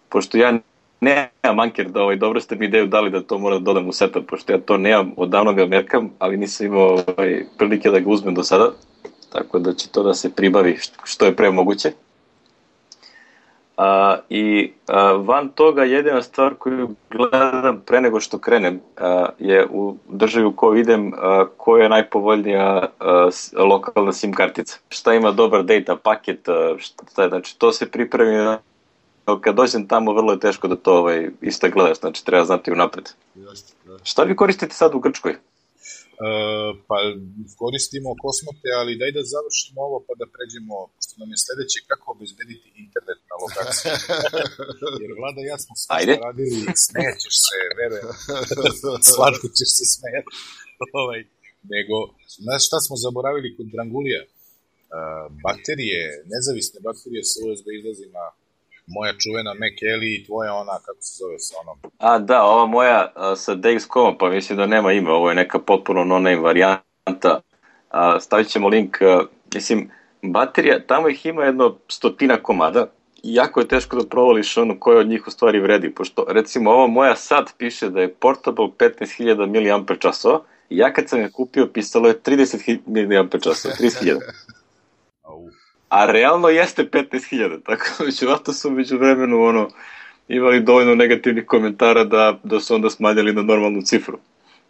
pošto ja nemam anker da dobro ste mi ideju dali da to moram da dodam u setup, pošto ja to nemam, odavno ga merkam, ali nisam imao prilike da ga uzmem do sada, tako da će to da se pribavi što je pre moguće. I van toga jedina stvar koju gledam pre nego što krenem je u državi u kojoj idem koja je najpovoljnija lokalna SIM kartica. Šta ima dobar data paket, znači to se pripremi, kad dođem tamo vrlo je teško da to isto gledaš, znači treba znati unapred. Šta vi koristite sad u Grčkoj? Pa koristimo Kosmote, ali daj da završimo ovo pa da pređemo, pošto nam je sledeće kako obezbediti internet na lokaciji. Jer Vlada i ja smo sve radili, smećeš se, verujem, slatko ćeš se smejati. Nego, znaš šta smo zaboravili kod Drangulija? Baterije, nezavisne baterije sa USB izlazima, moja čuvena Mac Ellie i tvoja ona, kako se zove sa onom? Da, ova moja sa DXCOM, pa mislim da nema ime, ovo je neka potpuno no-name varijanta. Stavit ćemo link, mislim, baterija, tamo ih ima jedno 100 komada i jako je teško da provališ ono koje od njih u stvari vredi, pošto recimo ova moja sad piše da je portable 15.000 mAh i ja kad sam je kupio pisalo je 30.000 mAh, 30.000. A realno jeste 15.000, tako da verovatno su među vremenu imali dovoljno negativnih komentara da su onda smanjali na normalnu cifru.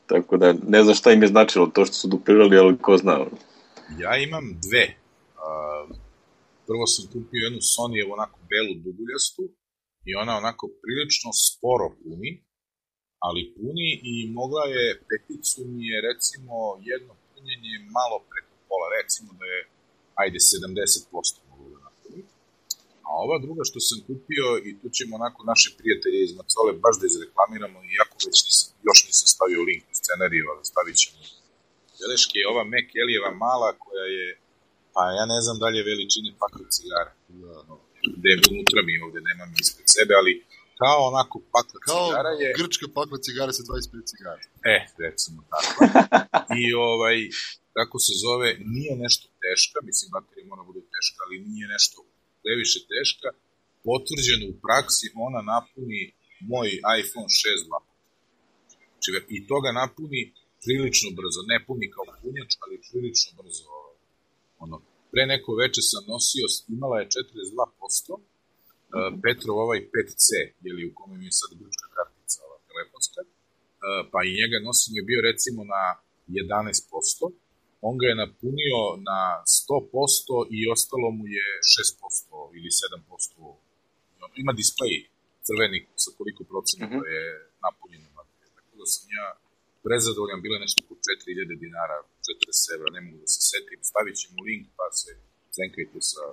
Tako da ne znam šta im je značilo to što su duplirali, ali ko zna. Ja imam dve. Prvo sam kupio jednu Sony onako belu duguljastu i ona onako prilično sporo puni, ali puni i mogla je, peticu mi je recimo jedno punjenje malo preko pola, recimo da je ajde 70% mogu da napravim. A ova druga što sam kupio, i tu ćemo onako naše prijatelje iz Macole baš da izreklamiramo, iako već još nisam stavio link u scenariju, ali stavit ćemo beleške, je ova Mac Elijeva mala koja je, pa ja ne znam dalje veličine pakla cigara. Gde je unutra mi ovde, nemam ispred sebe, ali kao onako pakla cigara je... Kao grčka pakla cigara sa 25 cigara. Recimo tako. I kako se zove, nije nešto teška, mislim, baterija mora bude teška, ali nije nešto previše teška, potvrđeno u praksi, ona napuni moj iPhone 6 2. I to ga napuni prilično brzo, ne puni kao punjač, ali prilično brzo. Pre neko veče sam nosio, imala je 42%, Petrov ovaj 5C, u kome mi je sad grčka kartica, ova telefonska, pa i njega nosim je bio recimo na 11%, on ga je napunio na 100% i ostalo mu je 6% ili 7%. Ima displej crveni sa koliko procenata je napunjeno baterija. Tako da sam ja prezadovoljan, bila nešto po 4.000 dinara, 40 evra, ne mogu da se setim. Stavit ćemo link pa se cenkajte sa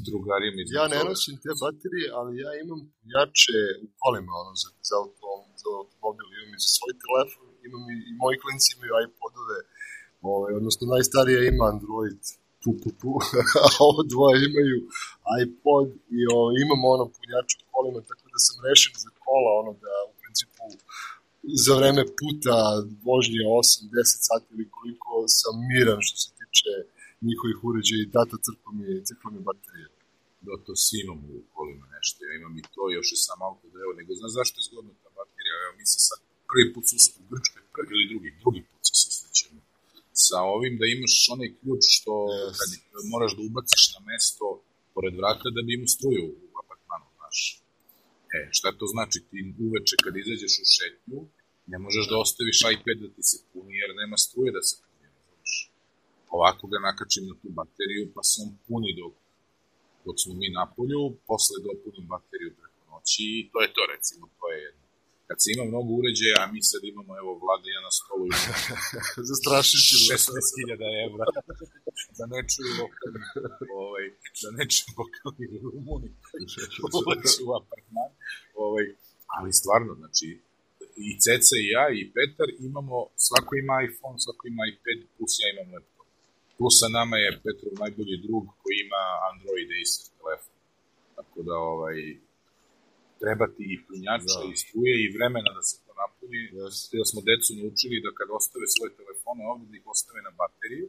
drugarima. Ja ne nosim te baterije, ali ja imam punjače u kolima za automobil, imam i za svoj telefon, imam i moji klinci imaju iPodove, odnosno najstarija ima Android, a ovo dvoje imaju iPod i imamo punjač u kolima, tako da sam rešen za kola, da u principu za vreme puta vožnje 8-10 sati ili koliko sam miran što se tiče njihovih uređaja i data crkva mi baterije. to svi imamo u kolima nešto, ja imam i to, još i sam auto da evo, nego znaš zašto je zgodno ta baterija, evo mi se sad prvi put susrećemo u Grčkoj, prvi ili drugi put se susrećemo sa ovim da imaš onaj ključ što kad moraš da ubaciš na mesto pored vrata da bi imao struju u apartmanu, znaš. Šta to znači? Ti uveče kad izađeš u šetnju, ne možeš da ostaviš iPad da ti se puni jer nema struje da se puni, znaš. Ovako ga nakačim na tu bateriju pa se on puni dok smo mi na polju, posle dopunim bateriju preko noći i to je to, recimo, to je jedno. Kad se ima mnogo uređaja, a mi sad imamo, evo, Vlada i ja na stolu zastrašit ću 16.000 evra da ne čuju lokalni Rumuni ulazi u apartman. Ali stvarno, znači, i Ceca i ja i Petar imamo, svako ima iPhone, svako ima iPad, plus ja imam laptop. Plus sa nama je Petrov najbolji drug koji ima Android Acer telefon. Tako da, treba ti i punjača i struje i vremena da se to napuni. Da smo decu naučili da kad ostave svoje telefone ovdje, da ih ostave na bateriju,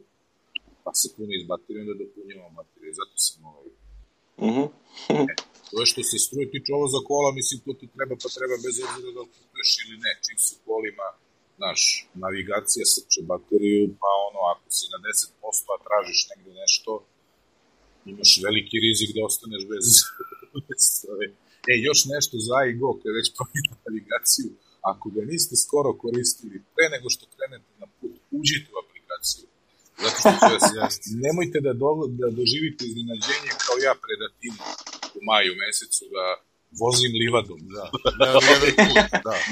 pa se puni iz baterije, onda dopunjamo bateriju. Zato sam to je što se struje tiče ovo za kola, mislim, to ti treba, pa treba bez obzira da kupuješ ili ne. Čim su kolima, znaš, navigacija srče bateriju, pa ako si na 10%, a tražiš negde nešto, imaš veliki rizik da ostaneš bez struje. Još nešto za iGo, kada već pominu navigaciju, ako ga niste skoro koristili, pre nego što krenete na put, uđite u aplikaciju. Zato što nemojte da doživite iznenađenje kao ja pred Atinu u maju mesecu, da vozim livadom.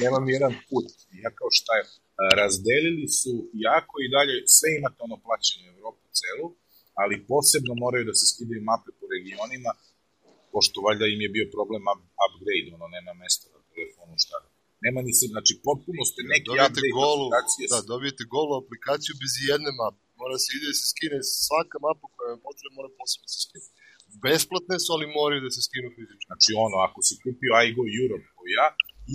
Nemam jedan put. Ja kao šta je, razdelili su jako i dalje, sve imate plaćeno u Evropu celu, ali posebno moraju da se skidaju mape po regionima, pošto valjda im je bio problem upgrade, nema mesta na telefonu, šta da. Nema ni se, znači potpuno ste neki upgrade aplikacije. Da, dobijete golu aplikaciju bez jedne mape. Mora se ide da se skine svaka mapa koja vam potrebna, mora posebno se skine. Besplatne su, ali moraju da se skinu fizički. Znači ako si kupio iGo Europe kao ja,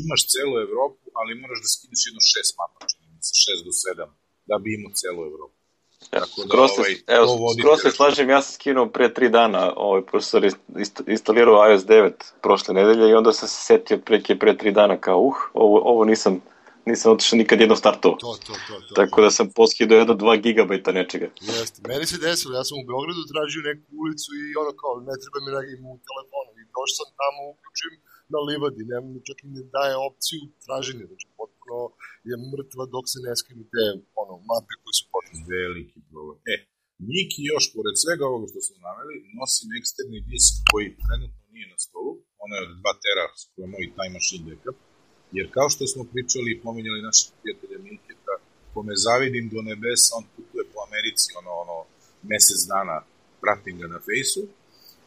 imaš celu Evropu, ali moraš da skideš jedno 6 mapa, čini mi se, 6 do 7, da bi imao celu Evropu. Skoro se slažem, ja sam skinuo pre 3 dana, profesor instalirao iOS 9 prošle nedelje i onda sam se setio pre 3 dana kao ovo nisam otišao nikad jedno startovo. Tako da sam poskidao jedno 2 gigabajta nečega. Jeste, meni se desilo, ja sam u Beogradu tražio neku ulicu i kao ne treba mi u telefonu i došao sam tamo, uključim na livadi, čak mi ne daje opciju traženja, znači potpuno je mrtva dok se ne skinu te mape koje su potrebne. Veliki problem. Miki još, pored svega ovoga što smo naveli, nosim eksterni disk koji trenutno nije na stolu, ono je od 2 tera, koji je moj Time Machine backup, jer kao što smo pričali i pominjali našeg prijatelja Milketa, kome zavidim do nebesa, on putuje po Americi, mesec dana, pratim ga na fejsu,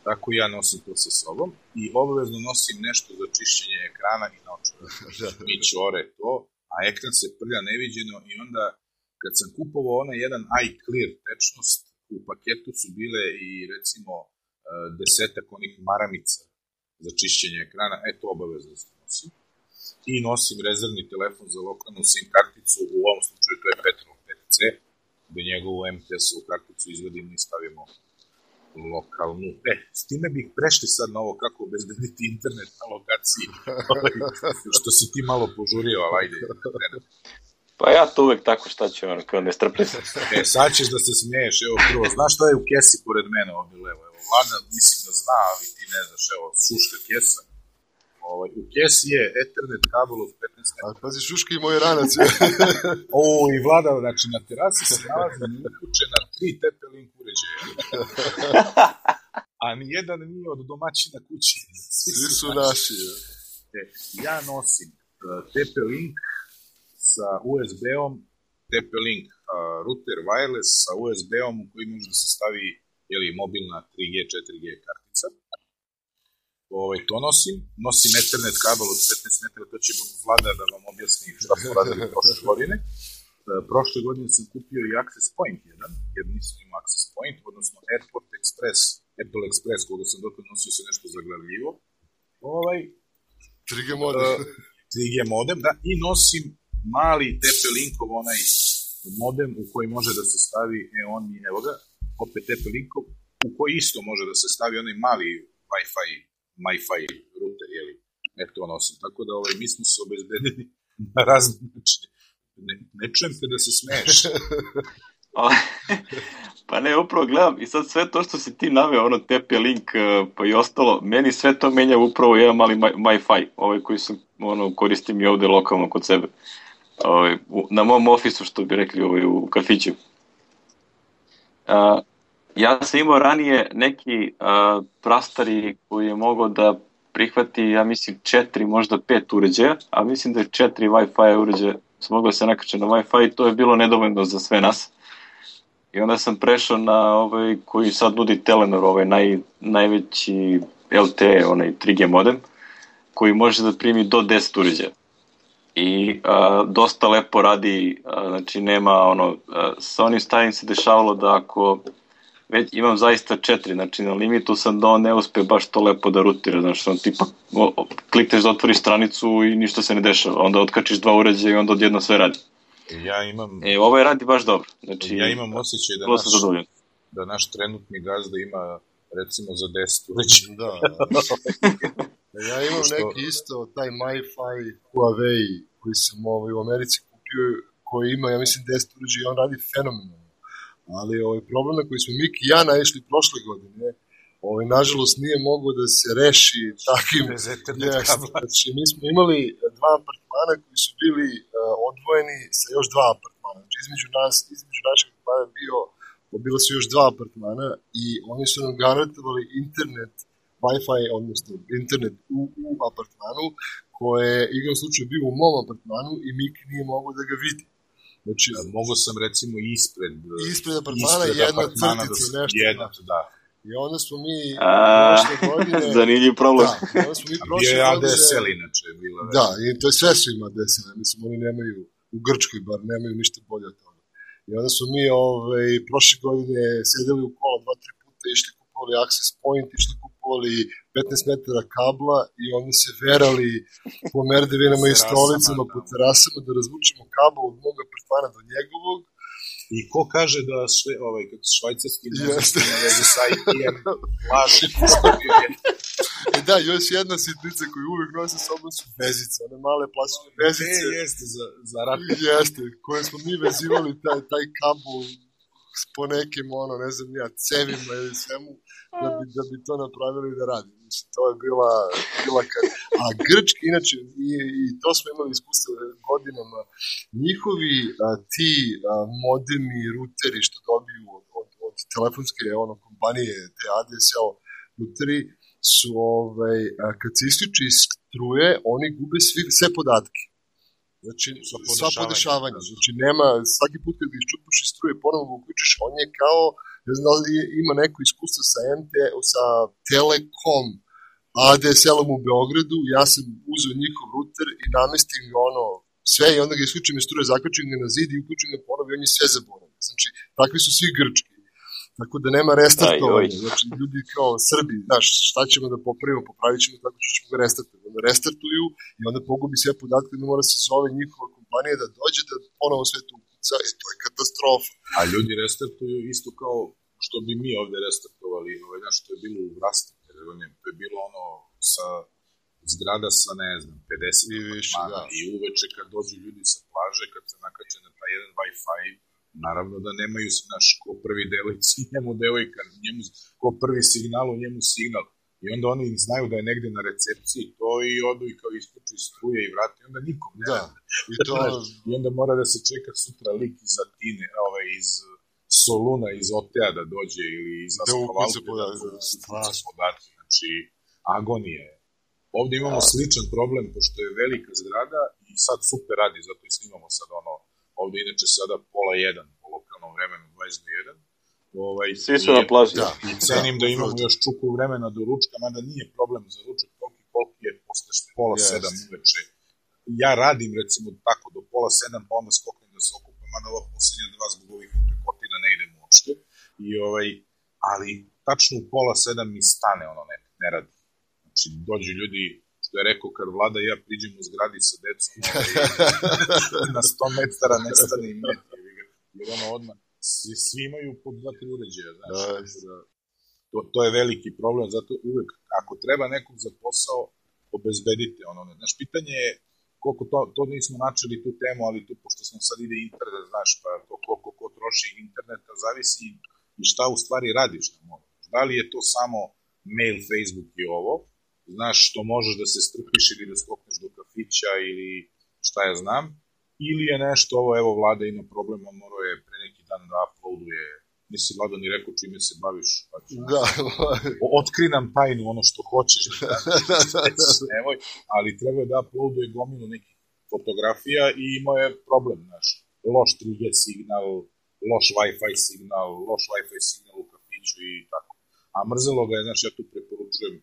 tako ja nosim to sa sobom i obavezno nosim nešto za čišćenje ekrana i naočara. Mi čore to, a ekran se prlja neviđeno i onda kad sam kupovao onaj jedan iClear tečnost, u paketu su bile i recimo 10 onih maramica za čišćenje ekrana, to obavezno se nosim. I nosim rezervni telefon za lokalnu SIM karticu, u ovom slučaju to je Petrov 5C, gde njegovu MTS-ovu karticu izvedimo i stavimo lokalnu. S time bih prešli sad na ovo kako obezbediti internet na lokaciji, što si ti malo požurio, ali ajde. Pa ja to uvek tako šta ću, kao ne strpim. Sad ćeš da se smiješ, evo prvo, znaš šta je u kesi pored mene ovdje levo? Evo, Vlada mislim da zna, ali ti ne znaš, evo, šuška kesa. U kesi je Ethernet kabel od 15 metara. Ali pazi, šuška i moj ranac. I Vlada, znači na terasi se nalazi uključena 3 TP-Link uređaja. A nijedan nije od domaćina kući. Svi su naši. Ja nosim TP-Link sa USB-om, TP-Link router wireless sa USB-om u koji može da se stavi mobilna 3G, 4G kartica. To nosim Ethernet kabel od 15 metara, to će Vlada da vam objasni šta smo radili prošle godine. Prošle godine sam kupio i Access Point jedan, jer nisam imao Access Point, odnosno Airport Express, Apple Express, koga sam dok nosio se nešto zaglavljivo. 3G modem. 3G modem, da, i nosim mali TP-Linkov onaj modem u koji može da se stavi, evo ga, opet TP-Linkov, u koji isto može da se stavi onaj mali Wi-Fi router, jeli, to nosim. Tako da mi smo se obezbedili na razne načine. Ne čujem te da se smeješ. Pa ne, upravo gledam i sad sve to što si ti naveo, ono TP-Link pa i ostalo, meni sve to menja upravo jedan mali Wi-Fi, koji sam, koristim i ovde lokalno kod sebe. Na mom ofisu, što bi rekli, u kafiću. Ja sam imao ranije neki prastari koji je mogao da prihvati, ja mislim, 4, možda 5 uređaja, a mislim da je 4 Wi-Fi uređaja sam mogao da se nakače na Wi-Fi i to je bilo nedovoljno za sve nas. I onda sam prešao na koji sad nudi Telenor, najveći LTE, 3G modem, koji može da primi do 10 uređaja. I dosta lepo radi, znači nema sa onim stavim se dešavalo da ako već imam zaista 4, znači na limitu sam da on ne uspe baš to lepo da rutira, znači tipa klikneš da otvoriš stranicu i ništa se ne dešava, onda otkačiš 2 uređaja i onda odjedno sve radi. Ovo radi baš dobro. Znači, ja imam osjećaj da naš trenutni gazda ima recimo za 10 uređaja. Da. Ja imam neki isto, taj MiFi Huawei koji sam u Americi kupio, koji ima, ja mislim, 10 uređaja i on radi fenomenalno. Ali problem na koji smo Miki i ja naišli prošle godine, nažalost nije mogao da se reši takvim. Znači, mi smo imali 2 apartmana koji su bili odvojeni sa još 2 apartmana. Znači, između našeg apartmana bilo su još 2 apartmana i oni su nam garantovali internet, Wi-Fi, odnosno internet u apartmanu, koje je igram slučaju bio u mom apartmanu i Miki nije mogao da ga vidi. Znači, mogu sam recimo ispred apartmana jedna crtica, nešto. Da. I onda smo mi prošle godine... Zanimljiv problem. Bio je ADSL inače. Da, i to je sve su ima ADSL. Mislim, oni nemaju, u Grčkoj bar, nemaju ništa bolje od toga. I onda smo mi prošle godine sedeli u kola 2-3 puta, išli kupovali access point, išli kupovali 15 metara kabla i onda se verali po merdevinama i stolicama, po terasama da razvučemo kabel od mog apartmana do njegovog. I ko kaže da sve, švajcarski nezvišti na vezi sa IP-em, laži. Da, još jedna sitnica koju uvijek nosi sobom su vezice, one male plastične vezice. Jeste, za ratne. Jeste, koje smo mi vezivali taj kabel po nekim, ne znam ja, cevima ili svemu, da bi to napravili da radi. Mislim, to je bila a grčki, inače, i to smo imali iskustvo godinama, njihovi ti modemi, ruteri što dobiju od telefonske kompanije, te ADSL ruteri, su, kad se isključi iz struje, oni gube sve podatke. Znači, sva podešavanja. Znači, nema, svaki put kad ga iščupaš iz struje, ponovno ga uključiš, on je kao, ne znam da li ima neko iskustvo sa Telekom ADSL-om u Beogradu, ja sam uzeo njihov ruter i namestim ga sve i onda ga isključim iz struje, zakačim ga na zid i uključim ga ponovo i on je sve zaboravio. Znači, takvi su svi grčki. Tako da nema restartovanja. Znači, ljudi kao Srbi, znaš, šta ćemo da popravit ćemo tako što ćemo ga restartovati. Onda restartuju i onda pogubi sve podatke, onda mora se zove njihova kompanija da dođe da ponovo sve to ukuca i to je katastrofa. A ljudi restartuju isto kao što bi mi ovde restartovali, što je bilo u Vrasti, to je bilo sa zgrada sa, ne znam, 50 apartmana i uveče kad dođu ljudi sa plaže, kad se nakače na taj jedan Wi-Fi, naravno da nemaju, ko prvi devojci, njemu devojka, ko prvi signal, u njemu signal. I onda oni znaju da je negde na recepciji to i odu i kao isključu iz struje i vrati, onda nikom ne rade. I onda mora da se čeka sutra lik iz Atine, iz Soluna, iz Otea da dođe ili iz Askovalke da podatke. Znači, agonija je. Ovde imamo sličan problem, pošto je velika zgrada i sad super radi, zato i snimamo sad ovde inače sada 12:30 po lokalnom vremenu, 22:01. Svi su na plaži. I cenim da imamo još čuku vremena do ručka, mada nije problem za ručak, koliko je posle 6:30 uveče. Ja radim recimo tako do 6:30, pa onda skoknem da se okupam, mada ova poslednja 2 zbog ovih prekotina ne idem uopšte. Ali tačno u 6:30 mi stane ne radi. Znači dođu ljudi, što je rekao, kad Vlada i ja priđem u zgradi sa decom, na 100 metara nestane i met, jer odmah svi imaju po 2-3 uređaja, znaš, To je veliki problem, zato uvek, ako treba nekog za posao, obezbedite ono. Znaš, pitanje je koliko to nismo načeli tu temu, ali tu, pošto sam sad ide internet, znaš, pa to koliko ko troši interneta, zavisi i šta u stvari radiš na moru. Da li je to samo mail, Facebook i ovo, znaš, što možeš da se strpiš ili da skokneš do kafića ili šta ja znam, ili je nešto, ovo, evo, Vlada ima problem, on morao je pre neki dan da uploaduje, nisi Vlada ni rekao čime se baviš, pa ću, Da. otkri nam tajnu, ono što hoćeš, nemoj, ali treba da uploaduje gomilu nekih fotografija i imao je problem, znaš, loš 3G signal, loš Wi-Fi signal, loš Wi-Fi signal u kafiću i tako. A mrzelo ga je, znaš, ja tu preporučujem,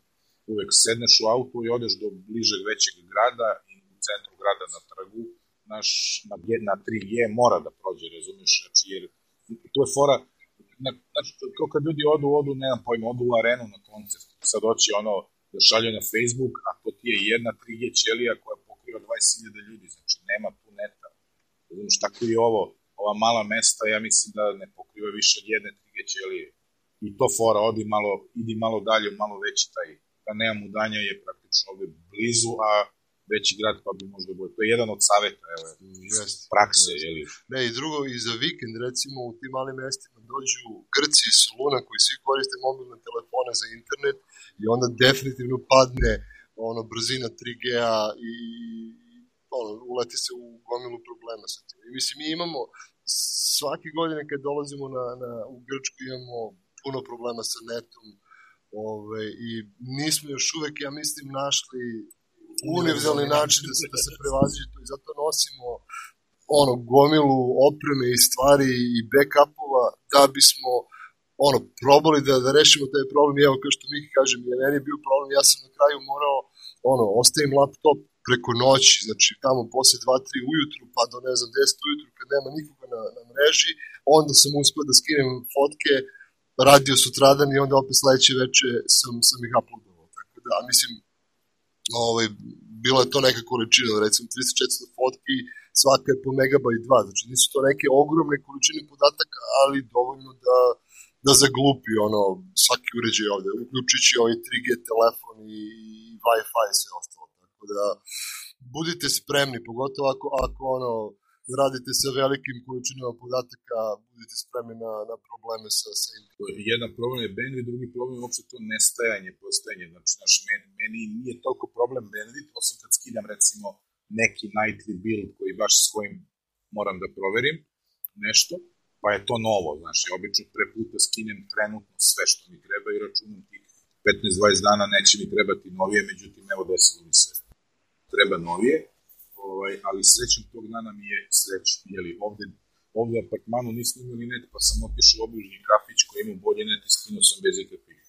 uvek sedneš u auto i odeš do bližeg većeg grada i u centru grada na trgu, znaš, na 3G mora da prođe, razumiješ, znači, jer to je fora, znači, kao kad ljudi odu, nemam pojma, odu u arenu na koncert, sad hoće ono, da šalju na Facebook, a to ti je jedna 3G ćelija koja pokriva 20.000 ljudi, znači, nema tu neta, razumiješ, tako i ovo, ova mala mesta, ja mislim da ne pokriva više od jedne 3G ćelije, i to fora, idi malo dalje, malo veći taj, da nema mudanja je praktično ovde blizu, a veći grad pa bi možda bilo. To je jedan od saveta, evo, prakse, jeli. Ne, i drugo, i za vikend, recimo, u tim malim mestima dođu Grci iz Soluna koji svi koriste mobilne telefone za internet i onda definitivno padne brzina 3G-a i uleti se u gomilu problema sa tim. I mislim, mi imamo svake godine kad dolazimo u Grčku imamo puno problema sa netom, i nismo još uvek, ja mislim, našli univerzalni način da se prevaziđe to i zato nosimo gomilu opreme i stvari i backupova da bismo probali da rešimo taj problem. Evo, kao što Miki kažem, je meni bio problem, ja sam na kraju morao ostavim laptop preko noći, znači tamo posle 2-3 ujutru pa do 10 ujutru kad nema nikoga na mreži, onda sam uspio da skinem fotke, radio sutradan i onda opet sledeće veče sam ih uploadovao. Tako da, mislim, bilo je to neka količina, recimo 300-400 fotki, svaka je po megabajt 2, znači nisu to neke ogromne količine podataka, ali dovoljno da zaglupi svaki uređaj ovde, uključujući ovaj 3G telefon i Wi-Fi i sve ostalo. Tako da, budite spremni, pogotovo ako radite sa velikim količinama podataka, budete spremni na probleme sa internetom. Jedan problem je bandwidth, drugi problem je uopšte to nestajanje, postajanje. Znači, meni nije toliko problem bandwidth, osim kad skidam, recimo, neki nightly build koji baš s kojim moram da proverim nešto, pa je to novo. Znači, ja obično pre puta skinem trenutno sve što mi treba i računam tih 15-20 dana neće mi trebati novije, međutim, evo desilo mi se treba novije. Ali srećom tog dana mi je srećno, jeli, ovde u apartmanu nismo imali net, pa sam otišao u obližnji kafić koji ima bolje net i skinuo sam bez ikakvih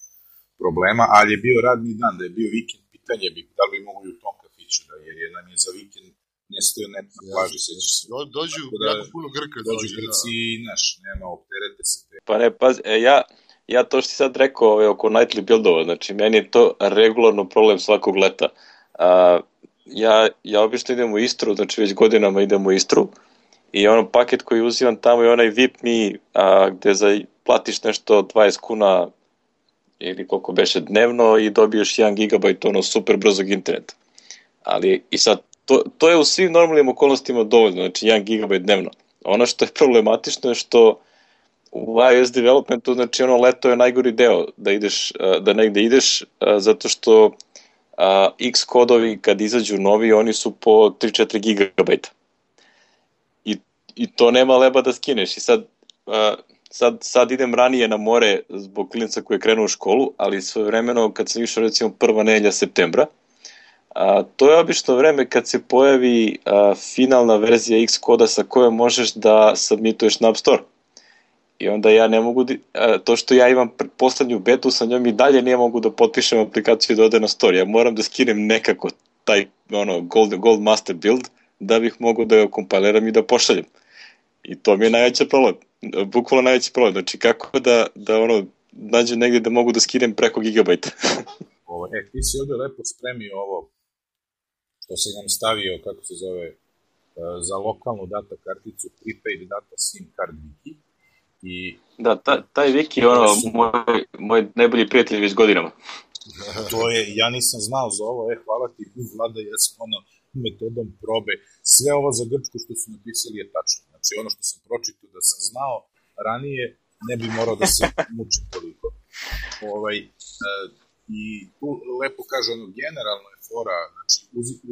problema, ali je bio radni dan, da je bio vikend, pitanje bi da li bi mogu i u tom kafiću, jer nam je za vikend nestao net na plaži, sećaš se. Dođu jako puno Grka. Dođu Grci i nema, opterete se. Pa ne, pazi, ja to što si sad rekao oko nightly buildova, znači meni je to regularno problem svakog leta. Ja obično idem u Istru, znači već godinama idem u Istru i paket koji uzimam tamo je onaj VIP Me, gde platiš nešto 20 kuna ili koliko beše dnevno i dobiješ 1 GB super brzog interneta. Ali i sad, to je u svim normalnim okolnostima dovoljno, znači 1 GB dnevno. Ono što je problematično je što u iOS developmentu, znači leto je najgori deo da negde ideš, zato što X kodovi kad izađu novi, oni su po 3-4 gigabajta. I to nema leba da skineš. I sad idem ranije na more zbog klinca koji je krenuo u školu, ali svojevremeno kad sam išao recimo prva nedelja septembra, to je obično vreme kad se pojavi finalna verzija X koda sa kojom možeš da submituješ na App Store. I onda ja ne mogu, to što ja imam poslednju betu, sa njom i dalje ne mogu da potpišem aplikaciju i da ode na store. Ja moram da skinem nekako taj gold master build da bih mogu da ga kompiliram i da pošaljem. I to mi je najveći problem. Bukvalno najveći problem. Znači kako da nađem negdje da mogu da skinem preko gigabajta. Ti si ovdje lepo spremio ovo što se nam stavio, kako se zove, za lokalnu data karticu prepaid data SIM card Wiki. I Da, taj Viki je ono, moj najbolji prijatelj već godinama. to je, ja nisam znao za ovo, hvala ti, Vlada, ja sam ono, metodom probe, sve ovo za Grčku što su napisali je tačno. Znači, ono što sam pročitao da sam znao ranije, ne bi morao da se mučim toliko. I tu lepo kaže, ono, generalno je fora, znači,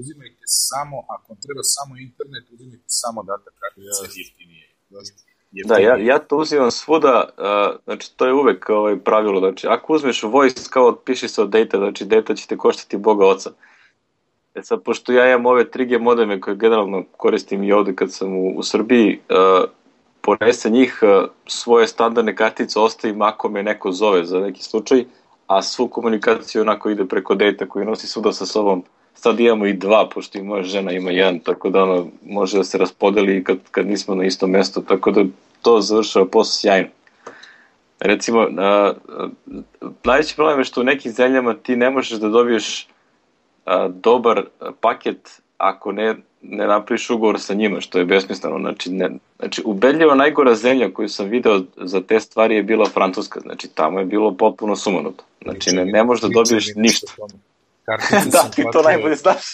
uzimajte samo, ako vam treba samo internet, uzimajte samo data kartice, jeftinije. Da, ja to uzimam svuda, znači to je uvek pravilo, znači ako uzmeš voice kao piši se od data, znači data će te koštati Boga oca. Sad, pošto ja imam ove 3G modeme koje generalno koristim i ovde kad sam u Srbiji, ponese njih, svoje standardne kartice ostavim ako me neko zove za neki slučaj, a svu komunikaciju onako ide preko data koji nosi svuda sa sobom. Sad imamo i 2, pošto i moja žena ima 1, tako da ono može da se raspodeli kad nismo na istom mestu, tako da to završava posao sjajno. Recimo, najveći problem je što u nekim zemljama ti ne možeš da dobiješ dobar paket ako ne napraviš ugovor sa njima, što je besmisleno. Znači, ubedljivo najgora zemlja koju sam video za te stvari je bila Francuska, znači tamo je bilo potpuno sumanuto. Znači, ne možeš da dobiješ ništa. Da, ti to najbolje znaš.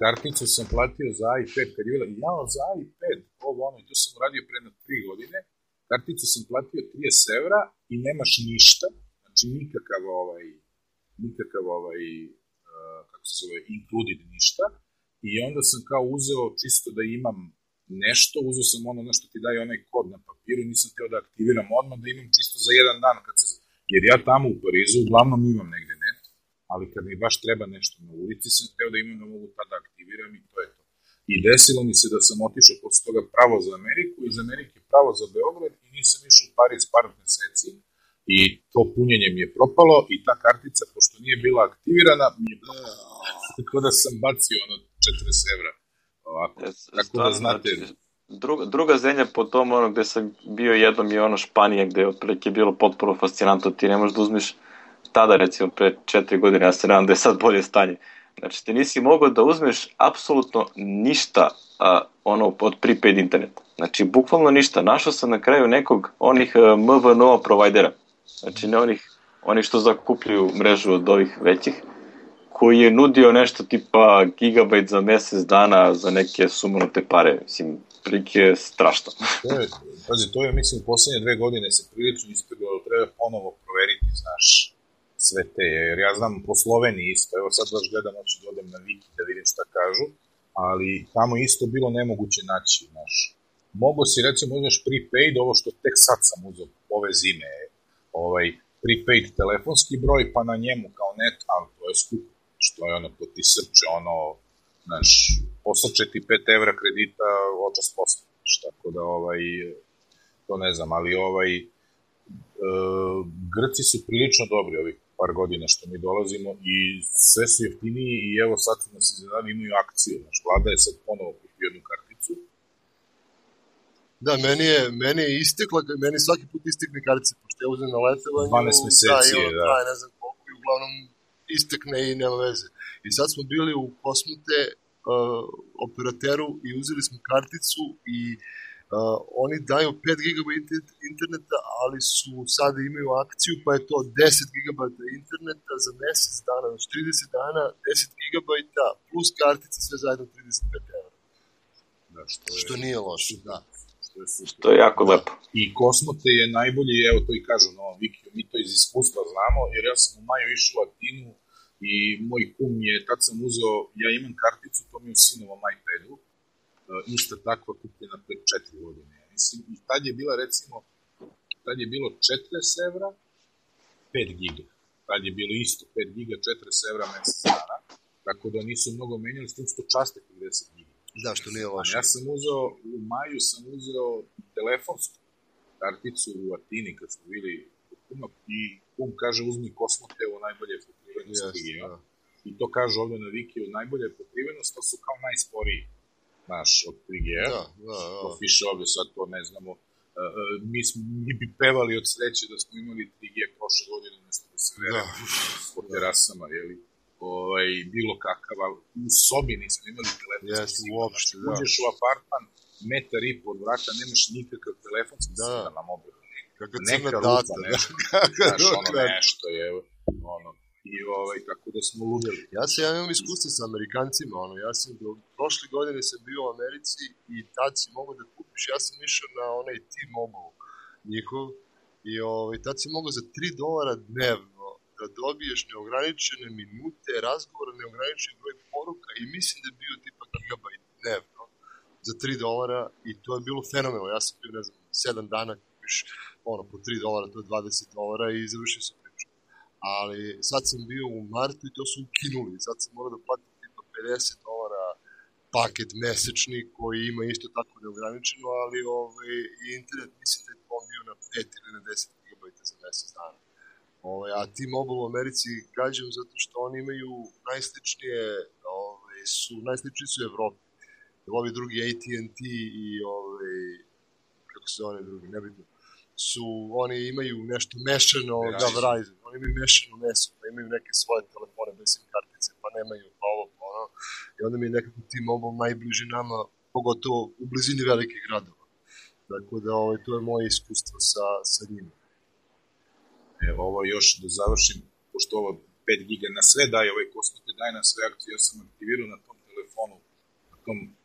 Karticu sam platio za iPad kad je bila, za iPad, i to sam uradio pre 3 godine, karticu sam platio 30 evra i nemaš ništa, znači nikakav kako se zove, included ništa, i onda sam kao uzeo čisto da imam nešto, uzeo sam ono nešto ti daje onaj kod na papiru, nisam htio da aktiviram odmah, da imam čisto za jedan dan, jer ja tamo u Parizu uglavnom imam negde net, ali kad mi baš treba nešto na ulici, sam htio da imam da mogu tada aktiviram i to je to. I desilo mi se da sam otišao posle toga pravo za Ameriku, iz Amerike pravo za Beograd i nisam išao u Pariz par meseci i to punjenje mi je propalo i ta kartica, pošto nije bila aktivirana, mi je tako da sam bacio 40 evra. Ovako, tako da znate... Druga zemlja po tom gde sam bio jednom je Španija, gde je otprilike bilo potpuno fascinantno, ti ne možeš da uzmeš tada, recimo, pre 4 godine, ja se nadam da je sad bolje stanje. Znači, ti nisi mogao da uzmeš apsolutno ništa od prepaid interneta. Znači, bukvalno ništa. Našao sam na kraju nekog onih MVNO provajdera. Znači, ne onih što zakupljuju mrežu od ovih većih, koji je nudio nešto tipa gigabajt za mesec dana za neke sumanute pare. Mislim, prilike je strašno. To je, mislim, u poslednje 2 godine se prilično ispeglo, treba ponovo proveriti, znaš, sve te, jer ja znam po Sloveniji isto, evo sad baš gledam, hoću da odem na Wiki da vidim šta kažu, ali tamo isto bilo nemoguće naći, znaš. Mogu si, recimo, uzmeš prepaid, ovo što tek sad sam uzeo ove zime, prepaid telefonski broj, pa na njemu kao net, ali to je skupo, što je to ti srče, znaš, posrče ti 5 evra kredita, očas posle, tako da, to ne znam, ali Grci su prilično dobri ovih par godina što mi dolazimo i sve su jeftiniji i evo sad nas iznenadili, imaju akciju. Naš Vlada je sad ponovo kupio jednu karticu. Da, meni je istekla, meni svaki put istekne kartice, pošto ja uzem na letovanje. 12 meseci je, da. Ne znam koliko i uglavnom istekne i nema veze. I sad smo bili u Kosmote operateru i uzeli smo karticu i oni daju 5 GB interneta, ali su sada imaju akciju, pa je to 10 GB interneta za mesec dana, znači 30 dana, 10 GB plus kartice, sve zajedno 35 €. Da, što nije loše, da. Što je jako lepo. I Kosmote je najbolji, evo to i kažu na ovom Wikiju, mi to iz iskustva znamo, jer ja sam u maju išao u Atinu i moj kum je, tad sam uzeo, ja imam karticu, to mi je u sinovom iPadu, ista takva kupljena pred 4 godine. Mislim, i tad je bila, recimo, tad je bilo 40 evra, 5 giga. Tad je bilo isto 5 giga, 40 evra mesec dana, tako da nisu mnogo menjali, s tim što časte 50 giga. Da, što nije loše. Ja sam uzeo, u maju sam uzeo telefonsku karticu u Atini kad smo bili u kuma i kum kaže uzmi Kosmotevo najbolje pokrivenost 3G. I to kaže ovde na Wikiju, najbolje pokrivenost, to su kao najsporiji. Naš, od 3G-a, to piše ovdje, sad to ne znamo, mi bi pevali od sreće da smo imali 3G prošle godine, nešto da se veremo po terasama, jeli, bilo kakav, ali u sobi nismo imali telefonski signal, uđeš u apartman, 1,5 metra od vrata, nemaš nikakav telefonski signal na mobilu, Kakva neka crna rupa, tata. znaš, ono nešto je, ono, i kako da smo ludili. Ja imam iskustvo sa Amerikancima, ja sam prošle godine sam bio u Americi i tad si mogo da kupiš, ja sam išao na onaj T-Mobile njihov i tad si mogo za $3 dnevno da dobiješ neograničene minute, razgovora, neograničen broj poruka i mislim da je bio tipa gigabajt dnevno za $3 i to je bilo fenomenalno. Ja sam bio, ne znam, 7 dana kupiš po $3, to je $20 i završio sam priču. Ali sad sam bio u martu i to su ukinuli. Sad sam morao da platim tipa $50 paket mesečni koji ima isto tako neograničeno, ali internet mislim da je to bio na 5 ili na 10 gigabajta za mesec dana. A T-Mobile u Americi gađam zato što oni imaju najsličnije su Evropi. Ovi drugi AT&T i kako se zove drugi, nebitno, oni imaju nešto mešano da Verizon, oni imaju mešano meso, pa imaju neke svoje telefone bez SIM kartice, pa nemaju pa ovo, pa ono, i onda mi je nekako T-Mobile najbliži nama, pogotovo u blizini velikih gradova. Tako da to je moje iskustvo sa njima. Evo ovo još da završim, pošto ovo 5 giga na sve daje, Kosmote daje na sve akcije, ja sam aktivirao na tom telefonu,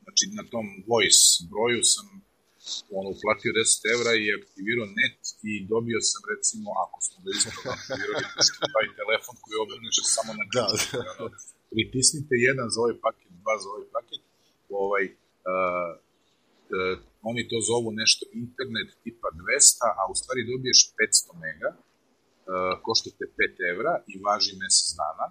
znači na tom voice broju sam uplatio €10 i aktivirao net i dobio sam recimo, ako smo ga ispravno aktivirali, pošto taj telefon koji obrneš samo na pritisnite 1 za ovaj paket, 2 za ovaj paket, oni to zovu nešto internet tipa 200, a u stvari dobiješ 500 mega, koštate €5 i važi mesec dana,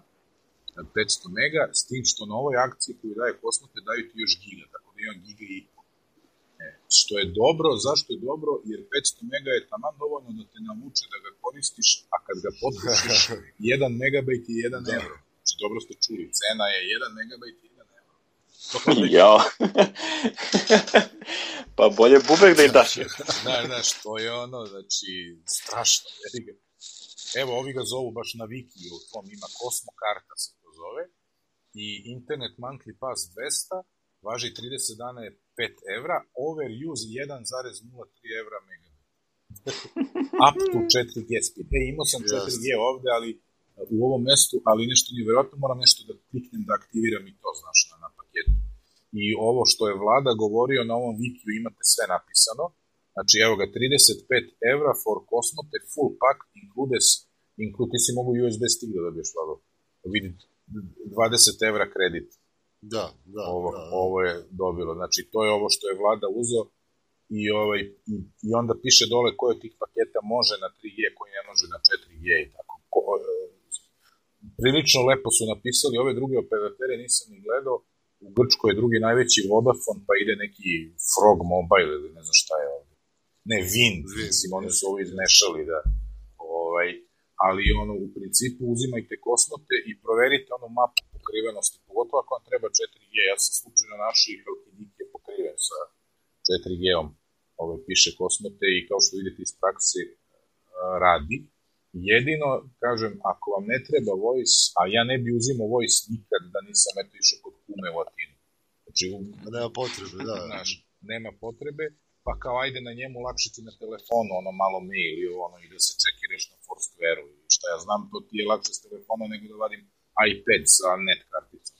500 mega, s tim što na ovoj akciji koju daje Kosmote daju ti još giga, tako da imam giga i pol. Što je dobro, zašto je dobro? Jer 500 mega je taman dovoljno da te navuče da ga koristiš, a kad ga potrošiš, 1 megabajt je €1. Znači, dobro ste čuli, cena je 1 megabajt je €1. Jao. Pa bolje bubek da im daš. Znaš, to je znači, strašno. Evo, ovi ga zovu baš na Wikiju, tom ima Cosmo karta se to zove, i Internet Monthly Pass 200, važi 30 dana je €5, overuse 1,03 megabit. Up to 4G speed. Imao sam 4G ovde, ali u ovom mestu, ali nešto nije verovatno, moram nešto da kliknem da aktiviram i to, znaš, na paketu. I ovo što je Vlada govorio na ovom Wikiju imate sve napisano. Znači, evo ga, €35 for Kosmote, full pack, ti si mogu USB stick da dobiješ, Vlado. Vidi, €20 kredit. Da. Ovo je dobilo. Znači, to je ovo što je Vlada uzeo i onda piše dole koje tih paketa može na 3G, koji ne može na 4G i tako. Prilično lepo su napisali, ove druge operatere nisam ni gledao. U Grčkoj je drugi najveći Vodafone, pa ide neki Frog Mobile ili ne znam šta je ovdje. Ne, Wind, mislim, oni su ovo izmešali, da. Ali u principu uzimajte Kosmote i proverite mapu pokrivenosti, pogotovo ako vam treba 4G. Ja sam slučajno našao i Halkidik je pokriven sa 4G-om. Piše Kosmote i kao što vidite iz prakse radi. Jedino, kažem, ako vam ne treba voice, a ja ne bi uzimao voice nikad da nisam išao kod kume u Atinu. Znači, nema potrebe, da. Znaš, nema potrebe, pa kao ajde na njemu lakše ti na telefonu, malo mail i da se čekiraš na Foursquare-u i šta ja znam, to ti je lakše s telefona nego da vadim iPad sa net karticom.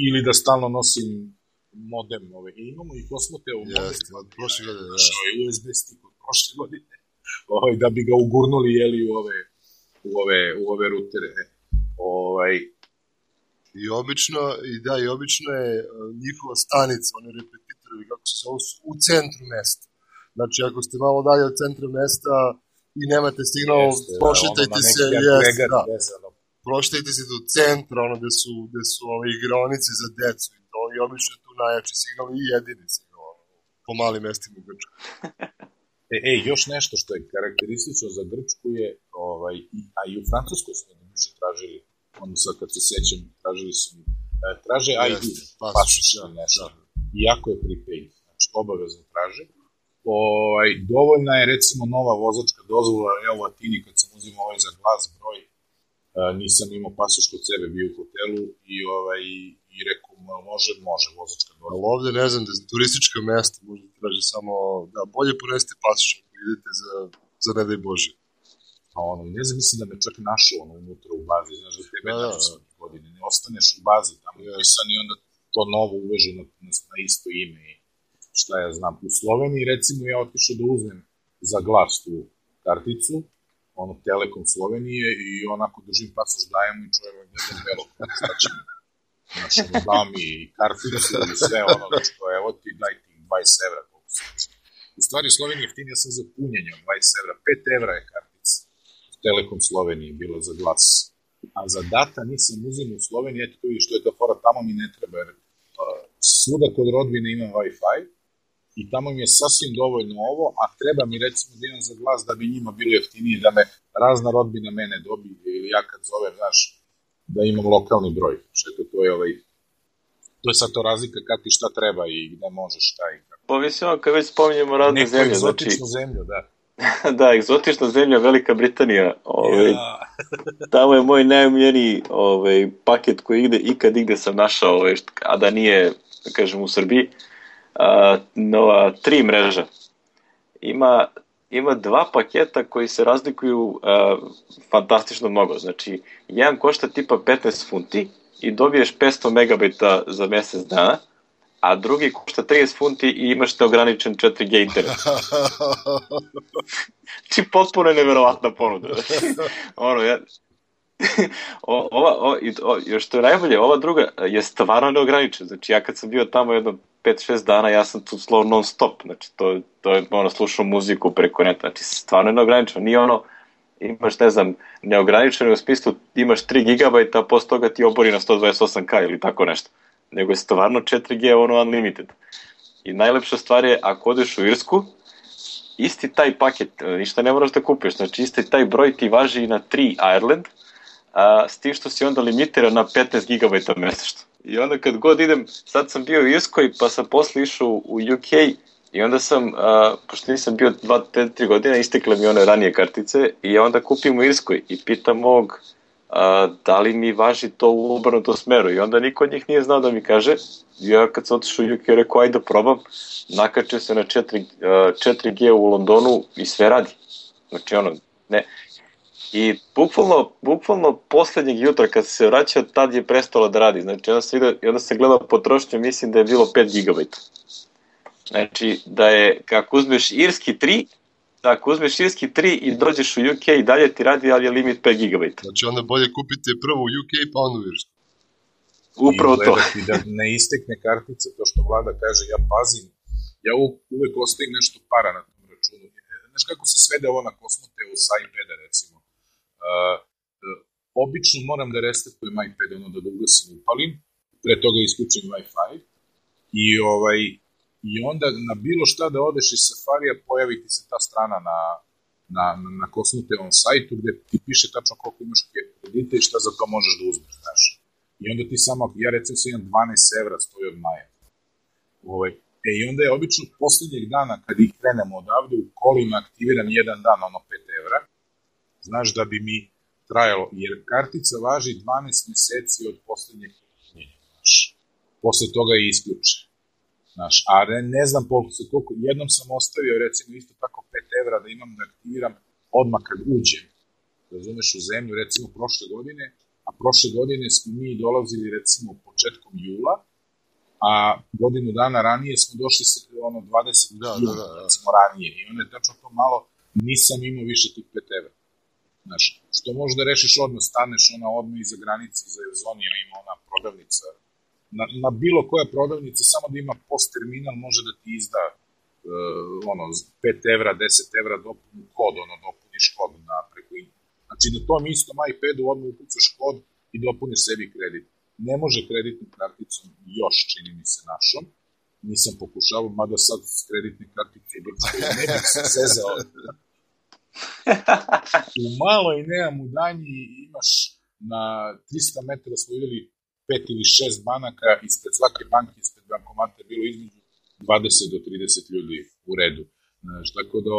Ili da stalno nosim modem. Imamo i Kosmote u modem. Prošle godine, da. USB stick od prošle godine. Da bi ga ugurnuli u ove rutere. I obično je njihova stanica, oni repetitori, kako se zove, u centru mesta. Znači, ako ste malo dalje od centra mesta i nemate signal, prošetajte se, prošetajte se do centra, gde su igraonice za decu i to, i obično je tu najjači signal i jedini signal po malim mestima u Grčkoj. Još nešto što je karakteristično za Grčku je, a i u Francuskoj smo tražili, sad kad se sećam, traže ID, pasoš ili nešto, iako je prepaid, znači obavezno traže. Dovoljna je recimo nova vozačka dozvola, ja u Atini kad sam uzimao za glas broj, nisam imao pasoš kod sebe, bio u hotelu i rekao, može vozačka dozvola. Ali ovde ne znam, da turistička mesta možda traže samo, da bolje poneste pasoš ako idete za ne daj Bože. A ono, ne znam, mislim da me čak našao ono unutra u bazi, znaš da tebe nađu svake godine, ne ostaneš u bazi tamo upisan i onda to novo uveže na isto ime i šta ja znam. U Sloveniji, recimo, ja otišao da uzmem za glas tu karticu, ono Telekom Slovenije i onako držim pasoš, dajem i čujem gledam belo, šta će mi, znaš, ono, dao mi i karticu i sve ono, znači, evo ti, daj ti 20 evra, koliko se znači. U stvari, u Sloveniji jeftinija sam za punjenje 20 evra, 5 evra je kartica. Telekom Sloveniji bilo za glas. A za data nisam uzim u Sloveniji, eto i što je ta fora, tamo mi ne treba, jer svuda kod rodbine imam Wi-Fi i tamo mi je sasvim dovoljno ovo, a treba mi recimo da imam za glas da bi njima bilo jeftinije, da me razna rodbina mene dobije ili ja kad zovem, znaš, da imam lokalni broj. Što to je to je sad to razlika kad ti šta treba i gde možeš šta i kako. Povisimo kad već spominjemo razne zemlje. Neku egzotičnu zemlju, da. Da, egzotična zemlja Velika Britanija. Tamo je moj najomiljeniji paket koji ikad igde sam našao, a da nije, da kažem, u Srbiji. Nova 3 mreža. Ima 2 paketa koji se razlikuju fantastično mnogo. Znači, jedan košta tipa 15 funti i dobiješ 500 megabajta za mesec dana, a drugi košta 30 funti i imaš neograničen 4G internet. Znači, potpuno je neverovatna ponuda. Još što je najbolje, ova druga je stvarno neograničena. Znači, ja kad sam bio tamo jedno 5-6 dana, ja sam tu slow non stop. Znači, to je slušao muziku preko neta. Znači, stvarno je neograničeno. Nije ono, imaš, ne znam, neograničeno u smislu imaš 3 gigabajta, a posle toga ti obori na 128K ili tako nešto. Nego je stvarno 4G unlimited. I najlepša stvar je, ako odeš u Irsku, isti taj paket, ništa ne moraš da kupiš, znači isti taj broj ti važi i na 3 Ireland, s tim što si onda limitiran na 15 GB mesečno. I onda kad god idem, sad sam bio u Irskoj, pa sam posle išao u UK i onda sam, pošto nisam bio 2-3 godine, istekle mi one ranije kartice i onda kupim u Irskoj i pitam mog da li mi važi to u obrnutom smeru i onda niko od njih nije znao da mi kaže. Ja kad sam otišao u UK rekao ajde da probam, nakačio se na 4G u Londonu i sve radi. Znači ne. I bukvalno poslednjeg jutra kad se vraćao, tad je prestalo da radi. Znači onda se gledao potrošnju, mislim da je bilo 5 GB. Znači da je, kako uzmeš irski 3, ako uzmeš irski 3 i dođeš u UK i dalje ti radi, ali je limit 5 GB. Znači onda bolje kupite prvo u UK pa onda u Irsku. Upravo to. I gledati da ne istekne kartica, to što Vlada kaže, ja pazim, ja uvek ostavim nešto para na tom računu. Znaš kako se svede ovo na kosmote sa iPada, recimo. Obično moram da restartujem iPad, da ugasim, upalim, pre toga isključim Wi-Fi i onda na bilo šta da odeš iz Safarija pojavi ti se ta strana na Kosmotevom sajtu gde ti piše tačno koliko imaš kredita i šta za to možeš da uzmeš, znaš. I onda ti samo, ja recimo sam imam 12 evra stoji od maja. I onda je obično poslednjeg dana kad ih krenemo odavde u kolima aktiviram jedan dan, 5 evra, znaš, da bi mi trajalo, jer kartica važi 12 meseci od poslednjeg krenjenja, znaš. Posle toga je isključe. Znaš, a ne znam koliko, jednom sam ostavio recimo isto tako 5 evra da imam da aktiviram odmah kad uđem, razumeš, u zemlju, recimo prošle godine, a prošle godine smo mi dolazili recimo početkom jula, a godinu dana ranije smo došli 20 jula, recimo ranije, i onda je tačno to malo, nisam imao više tih 5 evra. Znaš, što možeš da rešiš odmah, staneš odmah iza granice, iza Evzonija ima ona prodavnica, na bilo koja prodavnica, samo da ima post terminal, može da ti izda 5 evra, 10 evra dopuni kod, dopuniš kod preko ime. Znači na tom istom iPadu odmah ukucaš kod i dopuniš sebi kredit. Ne može kreditnom karticom još, čini mi se, našom. Nisam pokušavao, mada sad s kreditne kartice ne bih se zezao. U maloj Neamu danji imaš na 300 metara smo videli 5 ili 6 banaka, ispred svake banke, ispred bankomata je bilo između 20 do 30 ljudi u redu. Tako da,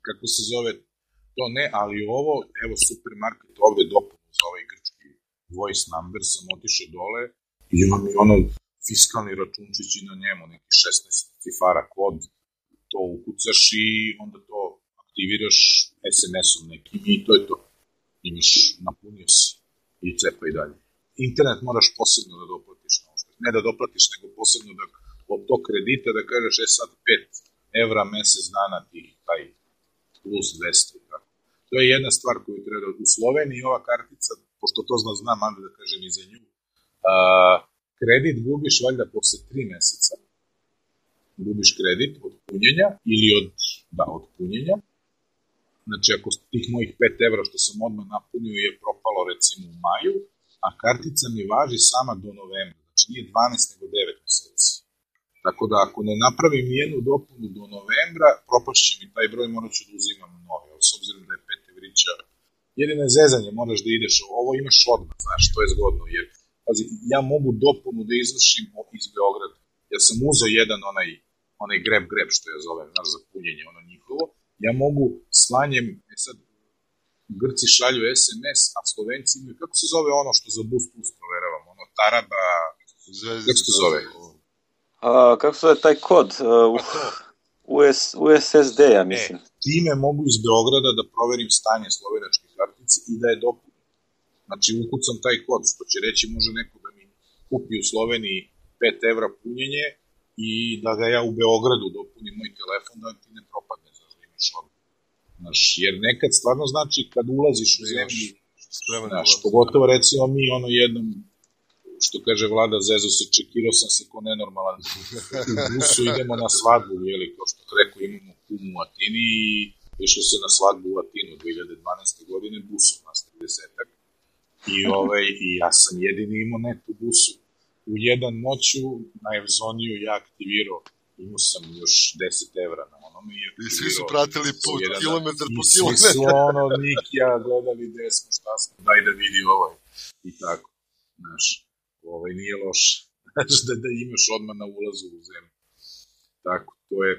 kako se zove, to ne, ali ovo, evo supermarket ovde dopunu za ovaj grčki voice number, sam otišao dole i imam i fiskalni računčić i na njemu, neki 16 cifara kod, to ukucaš i onda to aktiviraš SMS-om nekim i to je to. Imaš, napunio si i cepaj dalje. Internet moraš posebno da doplatiš, ne da doplatiš, nego posebno da od tog kredita da kažeš sad 5 evra mesec dana ti taj plus 200. Tako. To je jedna stvar koju treba u Sloveniji ova kartica, pošto to znam, ali da kažem i za nju, kredit gubiš valjda posle 3 meseca, gubiš kredit od punjenja ili od punjenja. Znači, ako tih mojih 5 evra što sam odmah napunio je propalo recimo u maju, a kartica mi važi sama do novembra, znači nije 12 nego 9 meseci. Tako da ako ne napravim jednu dopunu do novembra, propašće mi taj broj, morat ću da uzimam nove, s obzirom da je 5 evrića. Jedino je zezanje, moraš da ideš, ovo imaš odmah, znaš, to je zgodno, jer pazi, ja mogu dopunu da izvršim iz Beograda. Ja sam uzeo jedan onaj grab, što ja zovem, znaš, za punjenje, ono njihovo. Ja mogu slanjem, sad, Grci šalju SMS, a Slovenci imaju, kako se zove ono što za Bus Plus proveravam, ono Taraba, kako se zove? Kako se zove taj kod? USSD, ja mislim. Time mogu iz Beograda da proverim stanje slovenačke kartice i da je dopunim. Znači, ukucam taj kod, što će reći može neko da mi kupi u Sloveniji 5 evra punjenje i da ga ja u Beogradu dopunim moj telefon, da ti ne propadne, znači da imaš odmah. Znaš, jer nekad stvarno znači kad ulaziš u zemlji, znaš, pogotovo recimo mi jednom, što kaže Vlada, zezo se, čekirao sam se ko nenormalan, u busu idemo na svadbu, jeli, kao što rekao, imamo kumu u Atini i išlo se na svadbu u Atinu 2012. godine busom, nas 30-ak. I ja sam jedini imao net u busu. U jedan noću na Evzoniju ja aktivirao, imao sam još 10 evra na onome. I svi su pratili put, kilometar po kilometar. I svi su Nikija gledali gde smo, šta smo, daj da vidi i tako. Znaš, nije loše. Znaš, da imaš odmah na ulazu u zemlju. Tako, to je,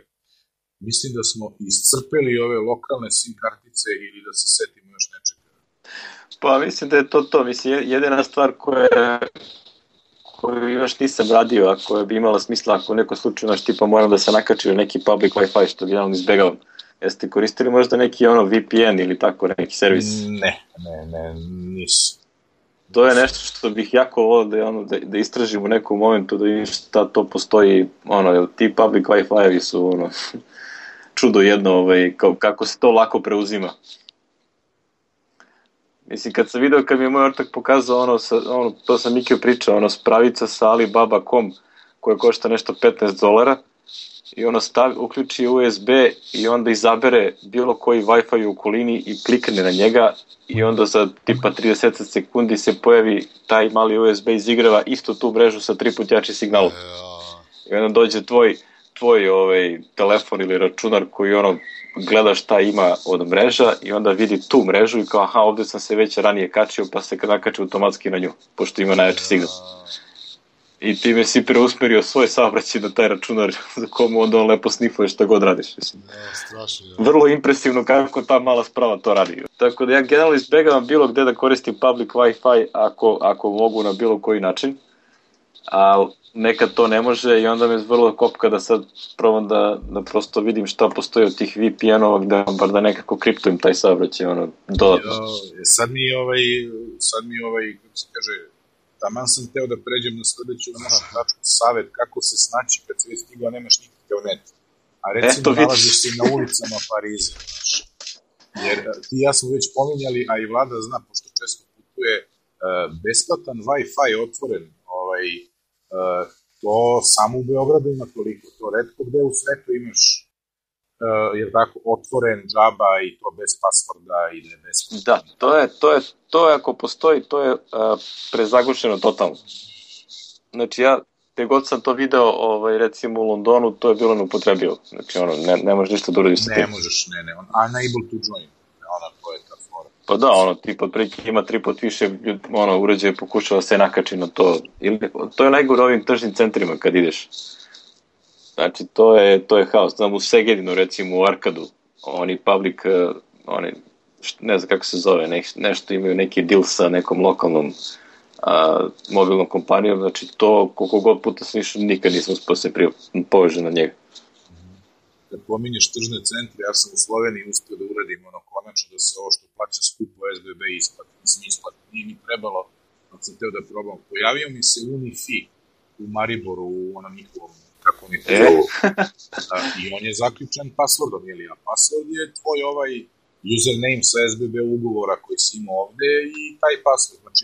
mislim da smo iscrpeli ove lokalne SIM kartice ili da se setimo još nečega. Pa mislim da je to, mislim, jedina stvar koju još nisam radio, a koja bi imala smisla ako u nekom slučaju, znaš, tipa moram da se nakačio neki public Wi-Fi, što generalno izbegavam. Jeste koristili možda neki VPN ili tako, neki servis? Ne, nisu. To je nešto što bih jako volio da istražim u nekom momentu, da vidim šta to postoji, ti public Wi-Fi-evi su čudo jedno, kako se to lako preuzima. Mislim, kad sam video, kad mi je moj ortak pokazao to sam Mikio pričao, spravica sa Alibaba.com koja košta nešto $15 i uključi USB i onda izabere bilo koji Wi-Fi u okolini i klikne na njega i onda za tipa 30 sekundi se pojavi taj mali USB izigrava istu tu mrežu sa 3 put jači signalom. I onda dođe tvoj telefon ili računar koji gleda šta ima od mreža i onda vidi tu mrežu i kao aha, ovde sam se već ranije kačio pa se nakači automatski na nju, pošto ima najjači signal. I time si preusmerio svoj saobraćaj na taj računar za komu onda on lepo snifuje šta god radiš. Strašno. Vrlo impresivno kako ta mala sprava to radi. Tako da ja generalno izbegavam bilo gde da koristim public Wi-Fi ako mogu na bilo koji način, a nekad to ne može i onda me vrlo kopka da sad probam da prosto vidim šta postoji od tih VPN-ova gde bar da nekako kriptujem taj saobraćaj dodatno. Sad mi kako se kaže, taman sam teo da pređem na sledeću našu tačku, savet kako se snaći kad se već stigao, nemaš nikakav net. A recimo nalaziš se na ulicama Pariza, znaš. Jer ti ja smo već pominjali, a i Vlada zna, pošto često putuje, besplatan Wi-Fi otvoren, to samo u Beogradu ima toliko, to retko gde u svetu imaš jer tako otvoren džaba i to bez pasvorda i ne bez... Da, to je ako postoji, to je prezagušeno totalno. Znači ja, te god sam to video, recimo u Londonu, to je bilo neupotrebivo. Znači ne možeš ništa da uradiš sa tim. Ne možeš, unable to join, to je ta fora. Pa da, tip otprilike ima 3 put više uređaje pokušava se nakači na to. To je najgore ovim tržnim centrima kad ideš. Znači, to je haos. Znam, u Segedinu, recimo, u Arkadu, oni public, ne znam kako se zove, nešto imaju neki deal sa nekom lokalnom mobilnom kompanijom, znači to koliko god puta sam išao, nikad nisam uspio se povežen na njega. kad pominješ tržne centre, ja sam u Sloveniji uspio da uradim konačno da se ovo što plaća skupo SBB isplati. Mislim, isplati. Nije mi trebalo, kad sam teo da probam. Pojavio mi se Unifi u Mariboru, u onom njihovom, kako oni to zovu. I on je zaključen passwordom, a password je tvoj username sa SBB ugovora koji si imao ovde i taj password. Znači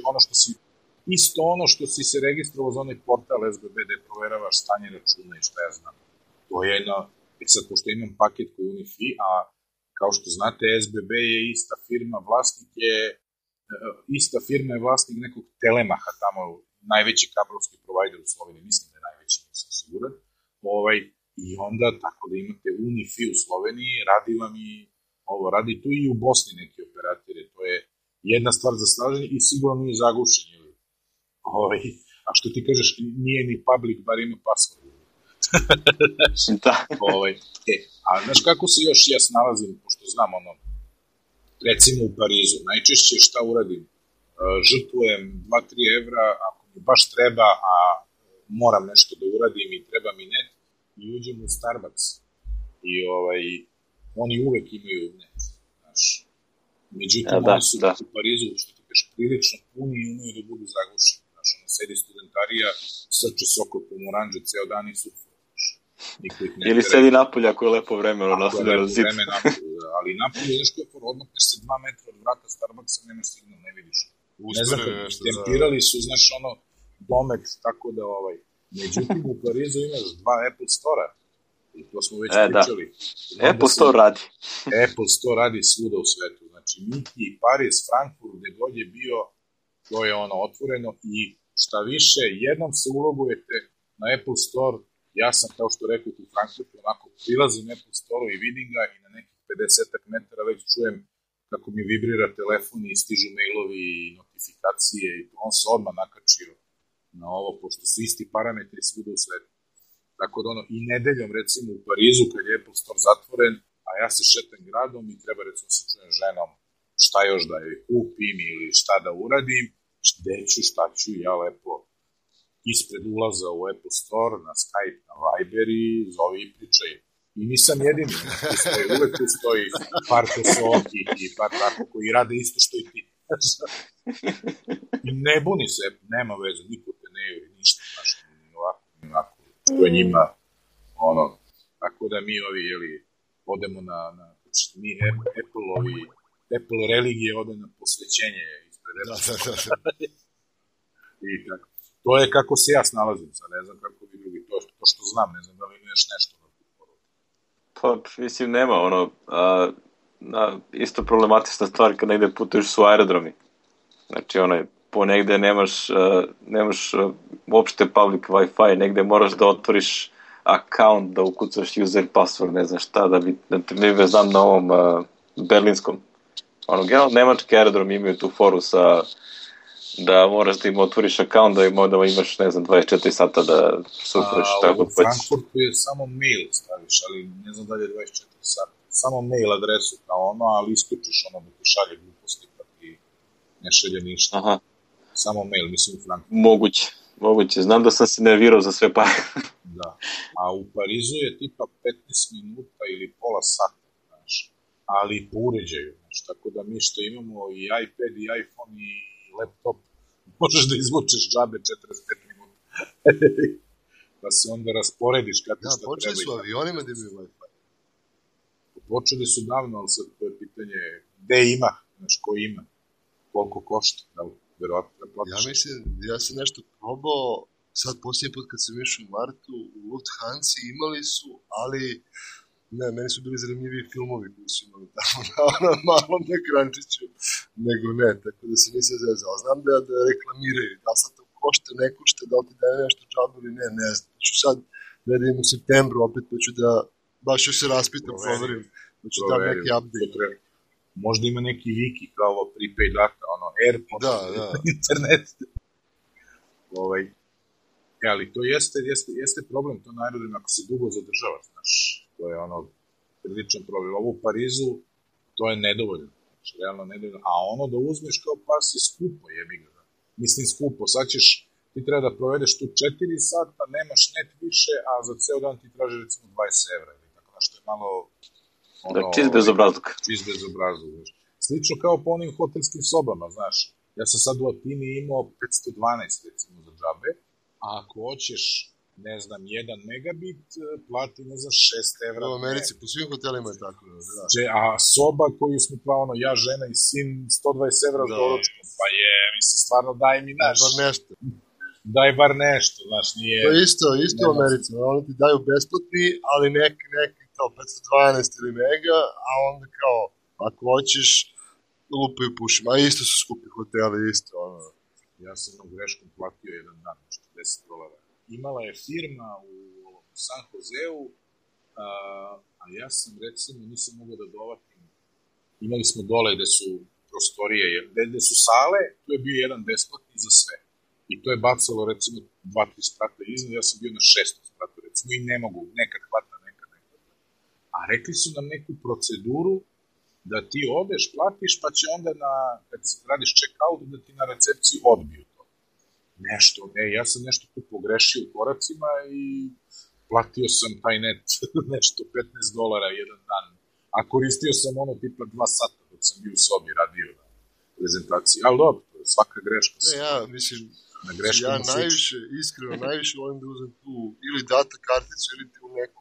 isto ono što si se registrovao za onaj portal SBB da proveravaš stanje računa i šta ja znam. To je sad pošto imam paket koji je Unifi, a kao što znate SBB je ista firma, vlasnik nekog Telemaha tamo, najveći kablovski provider u Sloveniji, mislim da je najveći, nisam siguran. I onda tako da imate Unifi u Sloveniji, radi tu i u Bosni neki operatere, to je jedna stvar za snaženje i sigurno nije zagušenje. A što ti kažeš, nije ni public, bar ima password. Da. A znaš kako se još ja snalazim, pošto znam recimo u Parizu, najčešće šta uradim, žrtvujem 2-3 evra, ako mi baš treba, a moram nešto da uradim i treba mi net, i uđem u Starbucks. I oni uvek imaju net, znaš. Međutim, oni su u Parizu, što ti kažeš, prilično puni i umiju da budu zagušeni. Znaš, sedi studentarija, srče soko pomoranđe ceo dan i surfa. Ili sedi napolje ako je lepo vreme, nastavljeno zid. Ali napolje, znaš koje odmakneš se 2 metra od vrata Starbucksa, nemaš signal, ne vidiš. Ne znam, tempirali su, znaš, domet, tako da Međutim, u Parizu imaš 2 Apple Store-a. I to smo već pričali. Apple Store radi. Apple Store radi svuda u svetu. Znači, Miki, Paris, Frankfurt, gde god je bio, to je otvoreno. I šta više, jednom se ulogujete na Apple Store. Ja sam, kao što rekao, u Frankfurtu, prilazim Apple Store-u i vidim ga i na nekih 50 metara već čujem kako mi vibrira telefon i stižu mailovi i notifikacije i on se odmah nakačio na ovo, pošto su isti parametri svuda u svetu. Tako da i nedeljom, recimo u Parizu, kad je Apple Store zatvoren, a ja se šetam gradom i treba, recimo, se čujem ženom šta još da joj kupim ili šta da uradim, šta ću, ja lepo ispred ulaza u Apple Store, na Skype, na Viber i zovi i pričaj. I nisam jedini, uvek tu stoji par kosoki i par tako koji rade isto što i ti. I ne buni se, nema veze, niko te ne juri, ništa, znaš, ni ovako, što je njima, tako da mi odemo na mi Apple religije ode na posvećenje ispred Apple. I tako. To je kako se ja snalazim, sad ne znam kako vi drugi, to što znam, ne znam da li imaš nešto. Pa, mislim, nema, isto problematična stvar kad negde putuješ su aerodromi. Znači, ponegde nemaš uopšte public Wi-Fi, negde moraš da otvoriš account, da ukucaš user password, ne znam šta, ne znam na ovom berlinskom. Generalno, nemački aerodrom imaju tu foru da moraš da im otvoriš account, da imaš, ne znam, 24 sata da surfuješ tako. U Frankfurtu je samo mail staviš, ali ne znam da li je 24 sata. Samo mail adresu kao ali isključiš da ti šalje gluposti pa ti ne šalje ništa. Aha. Samo mail, mislim u Frankfurtu. Moguće. Znam da sam se nervirao za sve pare. Da. A u Parizu je tipa 15 minuta ili pola sata, znaš, ali po uređaju, znaš, tako da mi što imamo i iPad i iPhone i laptop, možeš da izvučeš džabe 45 minuta. Pa se onda rasporediš kad ti šta treba. Počeli su avionima da imaju Wi-Fi. Počeli su davno, ali sad to je pitanje gde ima, znaš, ko ima, koliko košta, da li verovatno da platiš. Ja mislim, ja sam nešto probao, sad posljednji put kad sam išao u martu, u Lufthansa imali su, ali ne, meni su bili zanimljivi filmovi koji su imali tamo na malom ekrančiću, nego ne, tako da se nisam zezao. Znam da reklamiraju, da sad to košta, ne košta, da li ti daje nešto džabu ili ne znam. Ću sad, da idem u septembru, opet pa ću da, baš još se raspitam, proverim, pa ću da neki update. Možda ima neki wiki kao prepaid data, AirPods, internet. Ali to jeste problem, to na aerodromu ako se dugo zadržava, znaš, to je priličan problem. Ovo u Parizu, to je nedovoljno, znači, realno nedovoljno, a da uzmeš kao pas je skupo, jebi ga, mislim skupo, sad ćeš, ti treba da provedeš tu 4 sata, nemaš net više, a za ceo dan ti traži recimo 20 evra, ili tako što je malo... Čist bezobrazluk. Čist bezobrazluk, znaš. Slično kao po onim hotelskim sobama, znaš. Ja sam sad u Atini imao 512, recimo, za džabe, a ako hoćeš, ne znam, 1 megabit, plati, ne znam, 6 evra. U Americi, po svim hotelima je tako. Da. A soba koju smo pravno, ja, žena i sin, 120 evra za doručkom. Pa je, mislim, stvarno daj mi naš. Bar nešto. Daj bar nešto, znaš, nije... To je isto u Americi, oni ti daju besplatni, ali neki kao 512 ili mega, a onda kao, ako hoćeš, lupaju pušima, a isto su skupi hoteli, isto, ono. Ja sam jednom greškom platio jedan dan, $40. Imala je firma u San Joseu, a ja sam, recimo, nisam mogao da dovatim. Imali smo dole gde su prostorije, gde su sale, tu je bio jedan besplatni za sve. I to je bacalo, recimo, 2-3 sprata iznad, ja sam bio na 6. spratu, recimo, i ne mogu, nekad hvata, nekad ne hvata. A rekli su nam neku proceduru da ti odeš, platiš, pa će onda, kad radiš check-out, da ti na recepciji odbiju to. Nešto, ja sam nešto tu pogrešio u koracima i platio sam taj net nešto $15 jedan dan. A koristio sam ono tipa 2 sata dok sam bio u sobi, radio na prezentaciji. Ali dobro, svaka greška. Ja, mislim, ja najviše, iskreno, najviše volim da uzem tu ili data karticu ili tu neku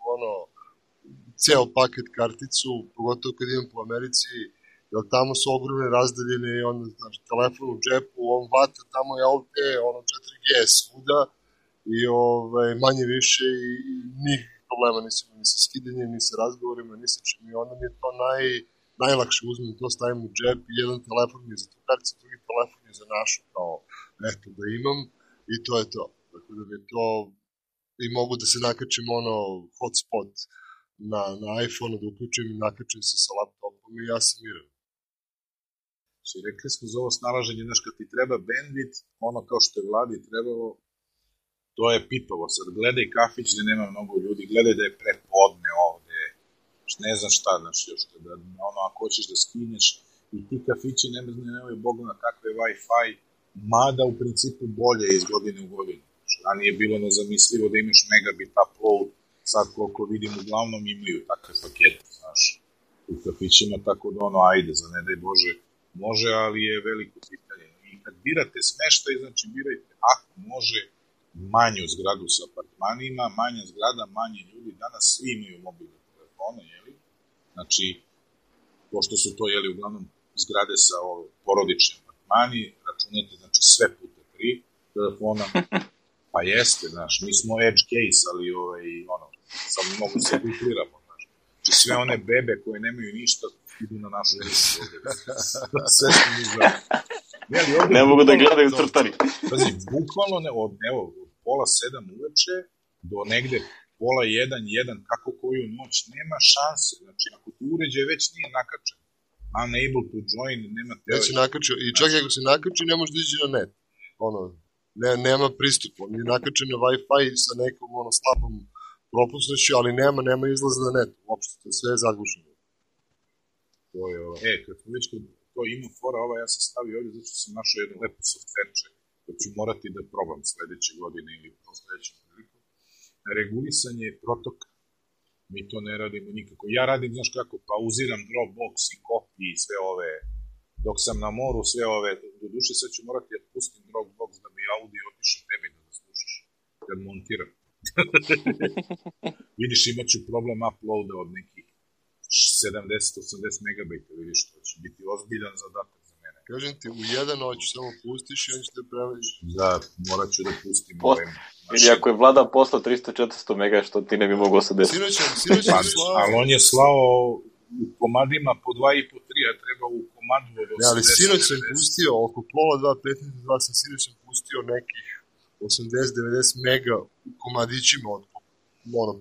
ceo paket karticu, pogotovo kad idem po Americi, jer tamo su ogromne razdaljene i onda, znaš, telefon u džepu, on vata, tamo je LTE, 4G svuda i manje više i nikakvih problema nisam ni sa skidanjem, ni sa razgovorima, ni sa čim i onda mi je to najlakše uzmem, to stavim u džep i jedan telefon mi je za tu karticu, drugi telefon je za našu, kao, eto, da imam i to je to. Tako da mi je to, i mogu da se nakačem hotspot na iPhone, da uključujem i nakačem se sa laptopom i ja sam miran. Rekli smo za ovo snalaženje, znaš, kad ti treba bandwidth, ono kao što je vladi trebalo, to je pipavo. Sad gledaj kafić gde nema mnogo ljudi, gledaj da je prepodne ovde, ne znam šta, znaš, još da, ako hoćeš da skineš, i ti kafići nemaju Bogu na kakve Wi-Fi, mada u principu bolje iz godine u godinu. Ranije je bilo nezamislivo da imaš megabit upload, sad koliko vidim uglavnom imaju takve pakete, znaš, u kafićima, tako da ajde, za ne daj Bože, može, ali je veliko pitanje. I kad birate smeštaj, znači birajte, ako može, manju zgradu sa apartmanima, manja zgrada, manje ljudi, danas svi imaju mobilne telefone, jeli? Znači, pošto su to, jeli, uglavnom zgrade sa porodičnim apartmani, računajte, znači, sve puta 3 telefona, pa jeste, znaš, mi smo edge case, ali, samo mogu se ukliramo, znaš. Znači, sve one bebe koje nemaju ništa, idu na našu listu ovdje. Sve što mi zove. Ne mogu da gledaju crtari. Pazi, bukvalno, od 6:30 uveče do negde 12:30, kako koju noć, nema šanse. Znači, ako ti uređaj već nije nakačen, unable to join, nema teo. Već se nakačio, i čak ako se nakači, ne može da ići na net. Nema pristup, on je nakačen na Wi-Fi sa nekom slabom propusnošću, ali nema izlaza na net, uopšte, sve je zagušeno. To je, kad smo već to ima fora, ja sam stavio ovdje, zato sam našao jednu lepu softverče, koji ću morati da probam sledeće godine ili sledećem priliku. Regulisanje protoka. Mi to ne radimo nikako. Ja radim, znaš kako, pauziram Dropbox i Copy i sve ove, dok sam na moru, sve ove, do duše sad ću morati da pustim Dropbox da bi audio otišao tebi da slušaš, kad montiram. Vidiš, imat ću problem uploada od nekih 70-80 megabajta, vidiš, to će biti ozbiljan zadatak za mene. Kažem ti, u jedan noć samo pustiš i on će te praviš. Da, morat ću da pustim Ili ako je Vlada poslao 300-400 mega, što ti ne bi moglo se desiti. Sinoć je slao. Ali on je slao u komadima po 2,5-3, a treba u komadu od 80. Ne, ali sinoć sam pustio, oko pola 2.15 sam sinoć sam pustio nekih 80-90 mega u komadićima od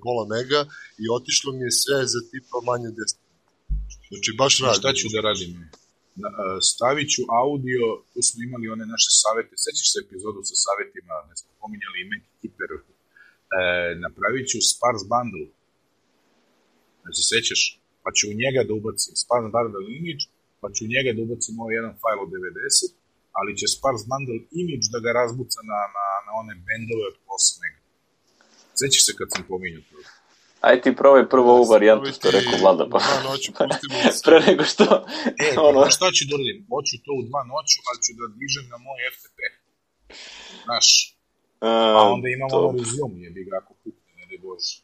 pola mega i otišlo mi je sve za tipa manje 10. Znači baš radim. Šta ću da radim? Stavit ću audio, tu smo imali one naše savete, sećaš se epizodu sa savetima, ne smo pominjali ime Kiper, napravit ću sparse bundle, ne se sećaš, pa ću u njega da ubacim sparse bundle image, pa ću u njega da ubacim ovaj jedan fajl od 90, ali će sparse bundle image da ga razbuca na one bandove od 8 mega. Sećaš se kad sam pominjao to? Aj ti probaj prvo ovu varijantu što je rekao Vlada. Pa. Pre nego što... ono... Šta ću da uradim? Hoću to u 2 noću, ali ću da dižem na moj FTP. Znaš. A onda imam ono resume, jebi ga ako pukne, ne daj Bože.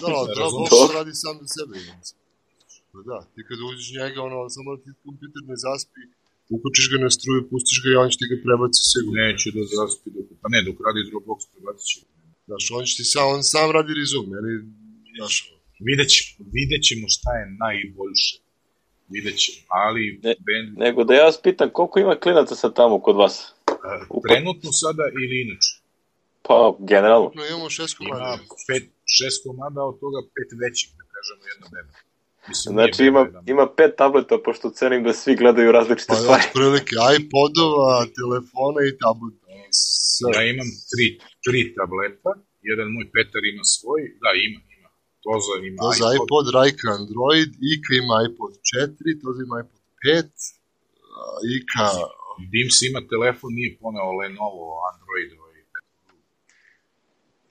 Da, radi sam za sebe. Da, ti kada uđeš njega, samo da ti kompjuter ne zaspi, ukočiš ga na struju, pustiš ga i on će ti ga prebaci sigurno. Neće da zaspi, pa ne, dok radi Dropbox prebaci će. Znaš, on sam radi resume, Vidjet ćemo šta je najboljše. Vidjet ćemo, ali... Nego da ja vas pitam, koliko ima klinaca sad tamo kod vas? Trenutno sada ili inače? Pa, generalno. Imamo 6 komada. Ima 6 komada, od toga 5 većih, da kažemo, jedna beba. Znači ima 5 tableta, pošto cenim da svi gledaju različite stvari. Pa otprilike iPodova, telefona i tableta. Ja imam 3 tableta, jedan moj Petar ima svoj, da ima. Toza ima iPod, Rajka Android, Ika ima iPod 4, Toza ima iPod 5, Ika... Dims ima telefon, nije poneo Lenovo, Android.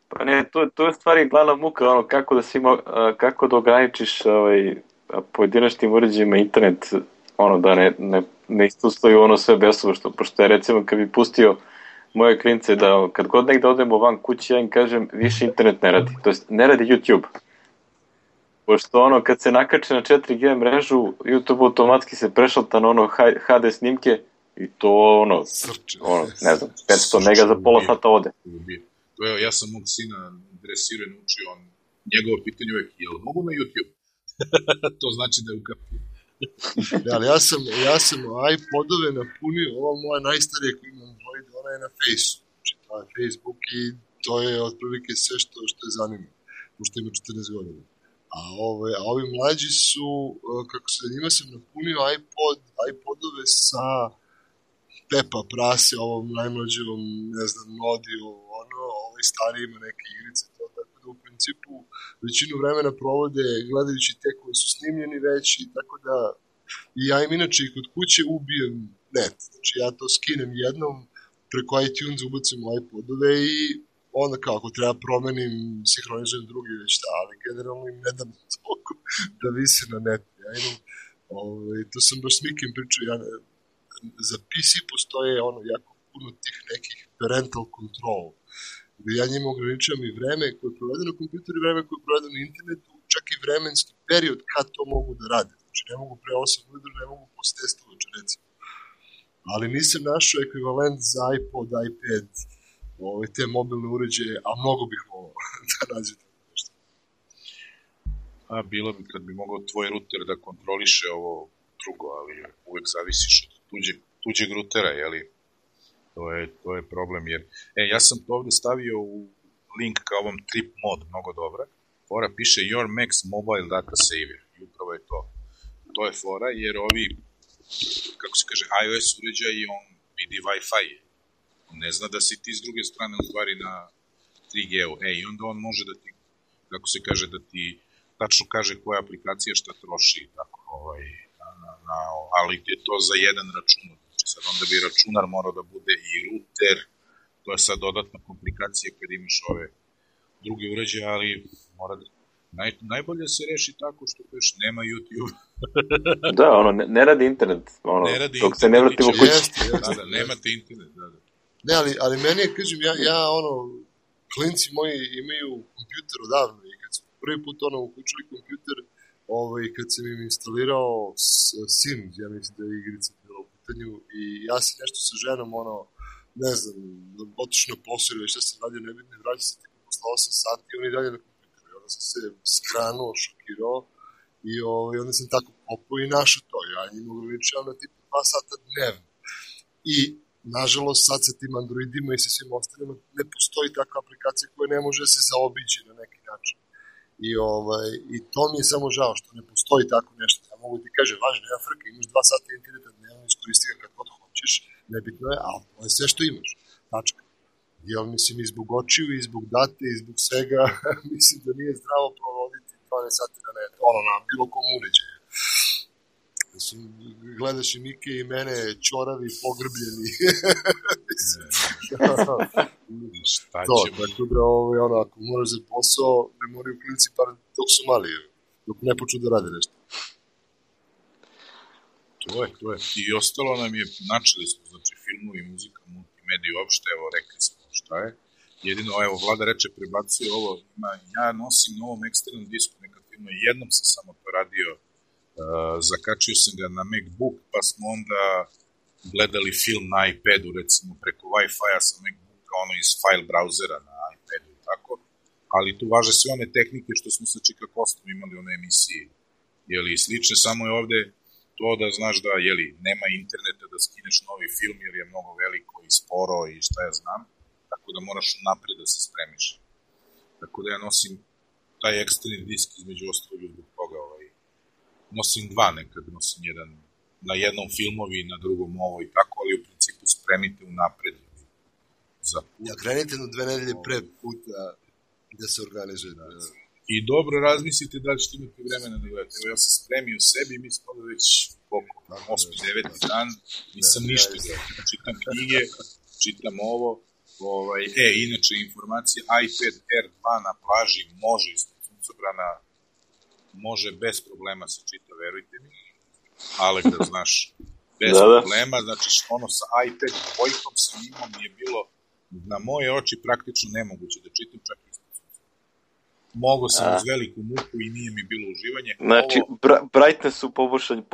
Pa ne, to je stvari glavna muka, kako da ograničiš pojedinačnim uređajima internet, da ne istustaju sve besovo, pošto je recimo kad bi pustio moje klince da kad god negde odemo van kući, ja im kažem više internet ne radi, to jest ne radi YouTube. Pošto kad se nakače na 4G mrežu, YouTube automatski se prešalta na HD snimke i to ne znam, 500 mega za pola sata ode. Ja sam mog sina dresirao i naučio, njegovo pitanje uvijek, jel mogu na YouTube? To znači da je u kapu. Ali ja sam iPodove napunio, ova moja najstarija koja ima Android, ona je na Faceu. Znači, to je Facebook i to je otprilike sve što je zanimljivo, pošto ima 14 godina. A ovi mlađi su, njima sam napunio iPodove sa Pepa Prase, ovom najmlađevom, ne znam, Nodi, ovaj stariji ima neke igrice, to, tako da u principu većinu vremena provode gledajući te koji su snimljeni već i tako da i ja im inače i kod kuće ubijem net, znači ja to skinem jednom, preko iTunes ubacim u iPodove i onda kao ako treba promenim, sinhronizujem drugi već da, ali generalno im ne dam toliko da visi na netu. Ja imam, to sam baš s Mikim pričao, za PC postoje jako puno tih nekih parental control, gde ja njima ograničavam i vreme koje je provedeno na kompjuteru i vreme koje je provedeno na internetu, čak i vremenski period kad to mogu da rade. Znači ne mogu pre 8 ujutru, ne mogu posle 10 uveče recimo. Ali nisam našao ekvivalent za iPod, iPad, te mobilne uređaje, a mnogo bih volao da nađe tako nešto. Bilo bi kad bi mogao tvoj router da kontroliše ovo drugo, ali uvek zavisiš od tuđeg routera, jeli? To je problem, jer... ja sam to ovde stavio u link ka ovom trip mod, mnogo dobra. Fora piše Your Max Mobile Data Saver, i upravo je to. To je fora, jer ovi, kako se kaže, iOS uređaj i on vidi Wi-Fi. On ne zna da si ti s druge strane u stvari na 3G-u. I onda on može da ti, kako se kaže, da ti tačno kaže koja aplikacija šta troši, tako, ali je to za jedan računar. Znači sad onda bi računar morao da bude i router, to je sad dodatna komplikacija kad imaš ove druge uređaje, ali mora da... Najbolje se reši tako što još nema YouTube. Da, ne radi internet, dok se ne vratimo kući. Da, nemate internet, da. Ne, ali meni je, kažem, klinci moji imaju kompjuter odavno i kad su prvi put uključili kompjuter, kad sam im instalirao Sims, ja mislim da je igrica bila u pitanju, i ja sam nešto sa ženom, ne znam, otišao na posao ili šta sam radio, nebitno, vraća se tipa posle 8 sati i oni dalje na kompjuteru. I onda sam se skranuo, šokirao i onda sam tako popao i našao to. Ja njim ograničavam na tipa 2 sata dnevno. I nažalost, sad sa tim Androidima i sa svim ostalima ne postoji takva aplikacija koja ne može se zaobići na neki način. I to mi je samo žao što ne postoji tako nešto. Ja mogu ti kažem, važno, nema frke, imaš 2 sata interneta dnevno, iskoristi ga kad god hoćeš, nebitno je, ali to je sve što imaš. Tačka. Jel, mislim, i zbog očiju, i zbog date, i zbog svega, mislim da nije zdravo provoditi 12 sati na netu, na bilo kom uređaju. Mislim, gledaš i Mike i mene, čoravi, pogrbljeni. Šta to, ćemo? tako da ono, ako moraš za posao, ne moraju klinici par dok su mali, dok ne počnu da rade nešto. To je. I ostalo nam je, načeli smo, znači, filmovi, muzika, multimedija, uopšte, evo, rekli smo šta je. Jedino, evo, Vlada reče, prebacio ovo, ja nosim na ovom eksternom disku nekad filmu, jednom sam samo to radio, zakačio sam ga na MacBook, pa smo onda gledali film na iPadu, recimo, preko Wi-Fi-a sa MacBooka, ono iz file brauzera na iPadu i tako, ali tu važe sve one tehnike što smo sa Čika Kostom imali u onoj emisiji, jeli, slične, samo je ovde to da znaš da, jeli, nema interneta da skineš novi film jer je mnogo veliko i sporo i šta ja znam, tako da moraš napred da se spremiš. Tako da ja nosim taj eksterni disk između ostalog zbog toga, nosim dva nekad, nosim jedan na jednom filmovi, na drugom ovo i tako, ali u principu spremite u napred za put. Ja, krenite na 2 nedelje pre puta da se organizuje. I dobro razmislite da li ćete imati vremena da gledate. Evo, ja sam spremio sebi, mi smo već 8-9 dan, nisam ništa gledao. Čitam knjige, čitam ovo. Inače, informacija, iPad Air 2 na plaži može iz suncobrana, može bez problema se čita, verujte mi. Alek, da znaš, bez problema. Znači, ono sa iPad dvojkom sam imao, mi je bilo na moje oči praktično nemoguće da čitam čak ispod sunca. Mogao sam uz veliku muku i nije mi bilo uživanje. Znači, brightness su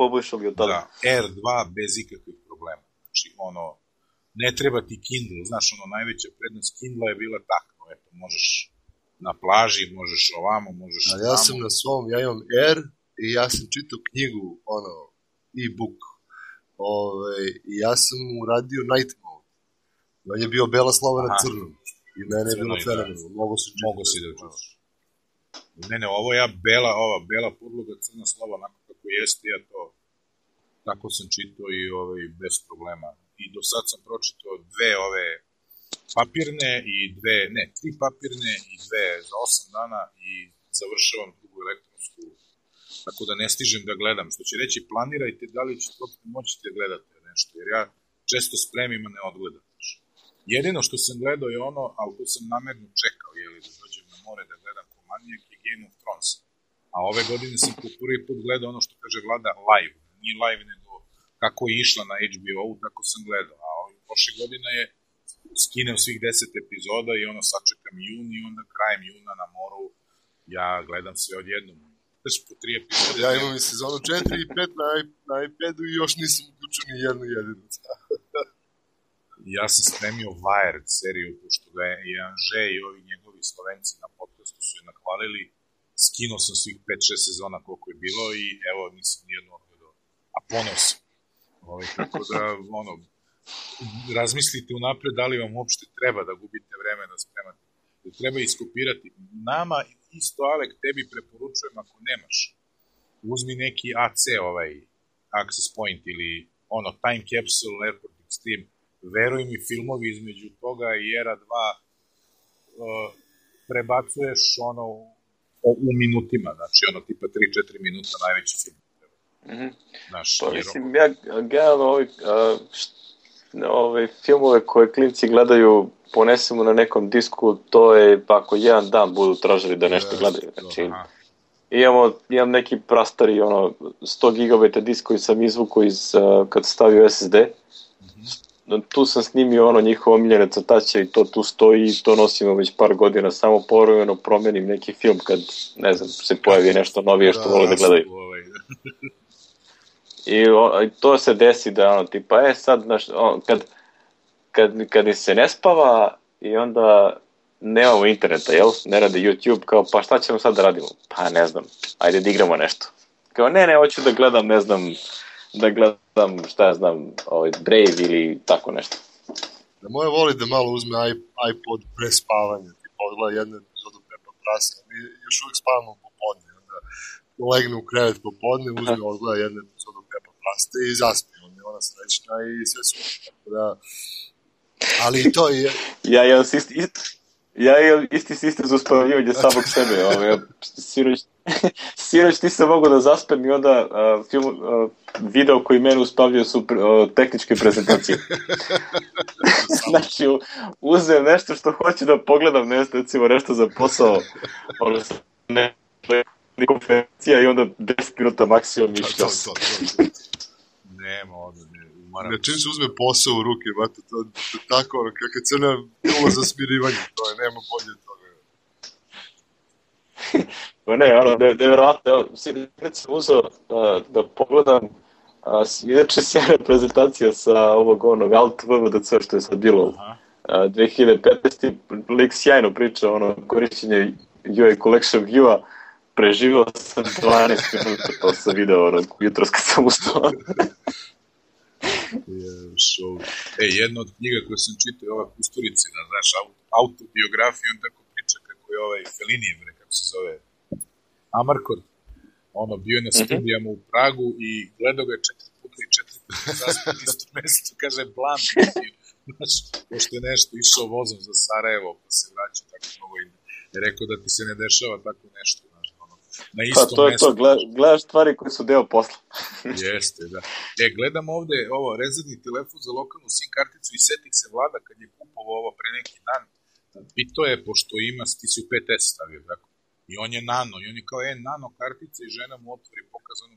poboljšali od tada. Da, R2 bez ikakvih problema. Znači, ne treba ti Kindle, znaš, najveća prednost Kindle je bila takva, eto, možeš na plaži, možeš ovamo, možeš ovamo. Ja sam na svom, ja imam R i ja sam čitao knjigu, e-book, i ja sam uradio night mode. On je bio bela slova na crnom i mene je bilo fenomenalno, mogo si da čitaš. Ne, ovo ja bela podloga, crna slova, onako kako jeste, ja to tako sam čitao i bez problema. I do sad sam pročitao 2 papirne i 3 papirne i 2 za 8 dana i završavam drugu elektronsku, tako da ne stižem da gledam. Što će reći, planirajte da li ćete moći da gledate nešto, jer ja često spremim, a ne odgledam. Jedino što sam gledao je ali to sam namerno čekao, da dođem na more da gledam ko manijak, je Game of Thrones. A ove godine sam po prvi put gledao ono što kaže Vlada live, nije live nego kako je išla na HBO-u, tako sam gledao. A prošle godine je skinem svih 10 epizoda i sačekam jun i onda krajem juna na moru ja gledam sve odjednom. Znači po 3 epizode. Ja imam i sezonu 4 i 5 na iPadu i još nisam uključio ni jednu jedinu. Ja sam spremio Wired seriju, pošto ga je Anže i ovi njegovi Slovenci na podcastu su je nahvalili. Skinuo sam svih 5-6 sezona koliko je bilo i evo nisam nijedno odgledao. A ponos. Tako da, razmislite unapred da li vam uopšte treba da gubite vreme da spremate. Da treba iskopirati. Nama isto, Alek, tebi preporučujem ako nemaš. Uzmi neki AC, Access Point ili Time Capsule, Airport Extreme. Veruj mi, filmovi između toga i Era 2 prebacuješ u minutima, znači tipa 3-4 minuta najveći film. Pa mislim, ja gledam ove filmove koje klinci gledaju, ponesemo na nekom disku, to je ako jedan dan budu tražili da nešto gledaju. Znači, imam neki prastari 100 GB disk koji sam izvukao kad stavio SSD. Tu sam snimio njihove omiljene crtače i to tu stoji i to nosimo već par godina, samo povremeno promenim neki film kad, ne znam, se pojavi nešto novije što vole da gledaju. I to se desi da tipa, sad, kad se ne spava i onda nemamo interneta, jel? Ne radi YouTube, kao, pa šta ćemo sad da radimo? Pa ne znam, ajde da igramo nešto. Kao, ne, hoću da gledam, ne znam, šta ja znam, Brave ili tako nešto. Da moje voli da malo uzme iPod pre spavanja, tipa odgleda jednu epizodu Peppa Prasa, mi još uvijek spavamo popodne, onda legne u krevet popodne, uzme odgleda jednu epizodu Peppa Prasa i zaspi, onda je ona srećna i sve su, tako da, ali i to je... Ja imam isti sistem za uspavljivanje samog sebe, Sinoć ti se mogu da zaspem i onda video koji mene uspavljaju su tehničke prezentacije. Znači, uzem nešto što hoću da pogledam, recimo nešto za posao, ono ne konferencija i onda 10 minuta maksimum i što. Nema ovdje, ne. Čim se uzme posao u ruke, bate, to tako, kakva crna pila za smirivanje, to je, nema bolje toga. Nevjerovatno, evo, kad sam uzeo da pogledam, inače sjajna prezentacija sa ovog Alt VVDC što je sad bilo 2015. Lik sjajno priča, korišćenje UI Collection View-a, preživio sam 12 minuta, to sam video jutros kad sam ustao. Jedna od knjiga koju sam čitao je ova Kusturicina, znaš, autobiografiju, on tako priča kako je Fellini, kako se zove, Amarcord, bio je na studijama u Pragu i gledao ga 4 puta i 4 puta zaspio na isto mesto, kaže, plan, znaš, pošto je nešto išao vozom za Sarajevo, pa se vraća tako mnogo i rekao da ti se ne dešava tako nešto, znaš, na istom mestu. Pa to je to, gledaš stvari koje su deo posla. Jeste, da. Gledam ovde rezervni telefon za lokalnu SIM karticu i setih se Vlada kad je kupovao ovo pre neki dan, pitao je, pošto ima, ti si u 5S stavio, tako? I on je nano, i on je kao nano kartica i žena mu otvori pokazano.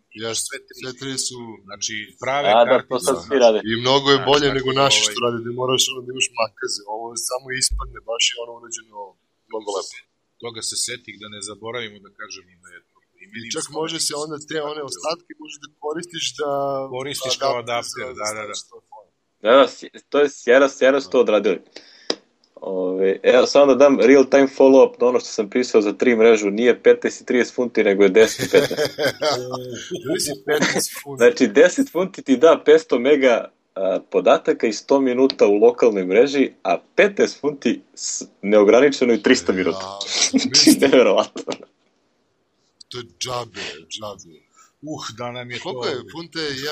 Sve tri su... Znači, prave kartice. To sad svi rade. I mnogo je bolje nego naši što rade, da moraš da imaš makaze. Ovo samo ispadne, baš je urađeno mnogo lepo. Toga se setih da ne zaboravimo da kažem da je to. I čak može se onda te one ostatke možeš da koristiš da... Koristiš kao adapter, da. Da, to je sjajno su to odradili. Evo, samo da dam real time follow-up na ono što sam pisao za 3 mrežu, nije 15 i 30 funti, nego je 10 i 15. Znači, 10 funti ti da 500 mega podataka i 100 minuta u lokalnoj mreži, a 15 funti neograničeno i 300 minuta. Neverovatno. To je džabe. Da nam je to... Koliko je? Funta je 1,60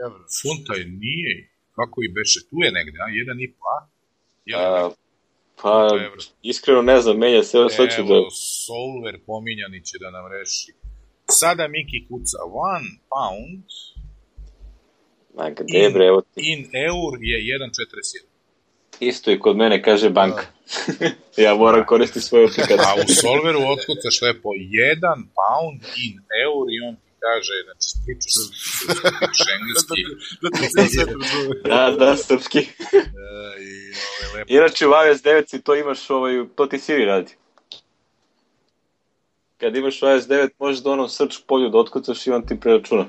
evra. Funta je, nije. Kako i beše? Tu je negde, 1,5, a? Pa, iskreno ne znam, menja se, evo sad ću da... Evo, Solver pominjani će da nam reši. Sada Miki kuca, 1 pound in eur je 1,41. Isto i kod mene kaže banka. Ja moram koristiti svoju aplikaciju. A u Solveru otkucaš lepo 1 pound in eur i on ti kaže, znači, priču engleski. Da, srpski. Inače u iOS 9 to imaš, to ti Siri radi. Kad imaš iOS 9 možeš da onom search polju da otkucaš i on ti preračuna.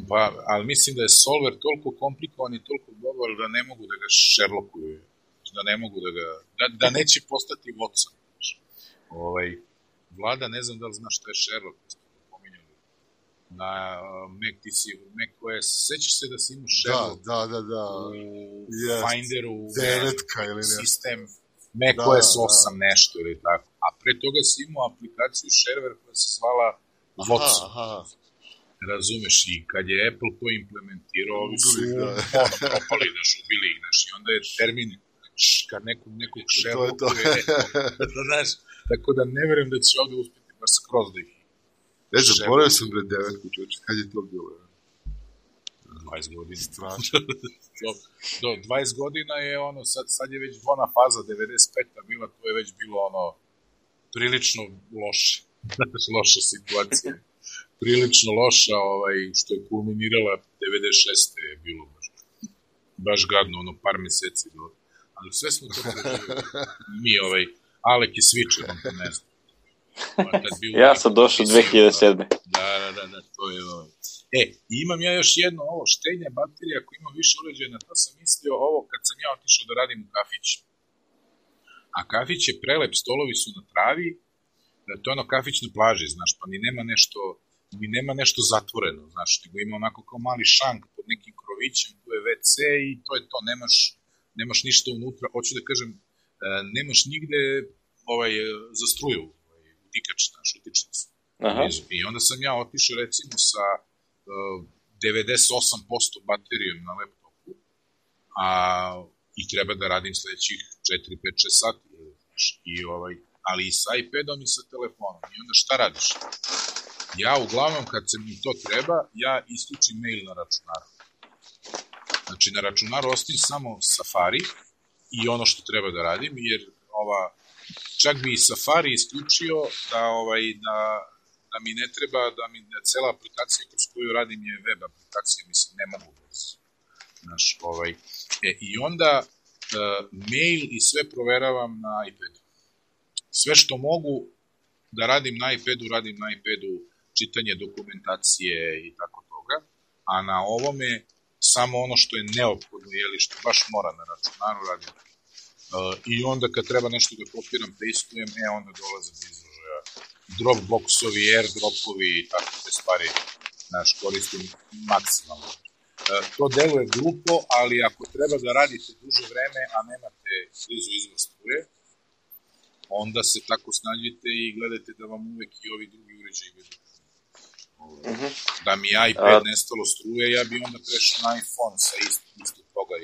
Pa, ali mislim da je Solver toliko komplikovan i toliko dobar da ne mogu da ga Sherlockuju. Da ne mogu da ga... Da neće postati Watson. Vlada, ne znam da li znaš šta je Sherlock. Na Mac OS, sećaš se da si imao Sherlock u Finderu, sistem Mac OS 8 nešto ili tako, a pre toga si imao aplikaciju Shareware koja se zvala Watson. Razumeš, i kad je Apple to implementirao, ovi su propali, ubili ih, i onda je termin kad nekog Sherlockuje, tako da ne verujem da će ovde uspjeti baš skroz da ih. Ne znam, zaboravio sam bre 9 čovječe, kad je to bilo? 20 godina. Strašno. Do 20 godina je sad je već ona faza 95-a bila, to je već bilo prilično loše. Loša situacija. Prilično loša, što je kulminirala 96. je bilo baš gadno, par meseci. Ali sve smo to preživili. Mi, Alek je switcher, on to ne znam. Ja sam došao 2007. Da, to je imam ja još jedno, štenja baterija, ako ima više uređaja, to sam mislio kad sam ja otišao da radim u kafić. A kafić je prelep, stolovi su na travi, to je kafić na plaži, znaš, pa ni nema nešto zatvoreno, znaš, nego ima onako kao mali šank pod nekim krovićem, tu je WC i to je to, nemaš ništa unutra, hoću da kažem, nemaš nigde za struju, utikač, znaš, utičnicu. I onda sam ja otišao recimo sa 98% baterijom na laptopu, i treba da radim sledećih 4, 5, 6 sati, ali i sa iPadom i sa telefonom. I onda šta radiš? Ja uglavnom kad se mi to treba, ja isključim mail na računaru. Znači na računaru ostavim samo Safari i ono što treba da radim, jer čak bi i Safari isključio da mi ne treba, da cela aplikacija kroz koju radim je web aplikacija, mislim, ne mogu bez. I onda mail i sve proveravam na iPadu. Sve što mogu da radim na iPadu, radim na iPadu, čitanje dokumentacije i tako toga, a na ovome samo ono što je neophodno, što baš mora na računaru radim. I onda kad treba nešto da kopiram, pasteujem, onda dolaze do izražaja Dropboxovi, AirDropovi i tako te stvari, koristim maksimalno. To deluje glupo, ali ako treba da radite duže vreme, a nemate blizu izvor struje, onda se tako snađite i gledajte da vam uvek i ovi drugi uređaji budu. Da mi iPad nestalo struje, ja bi onda prešao na iPhone sa isto toga,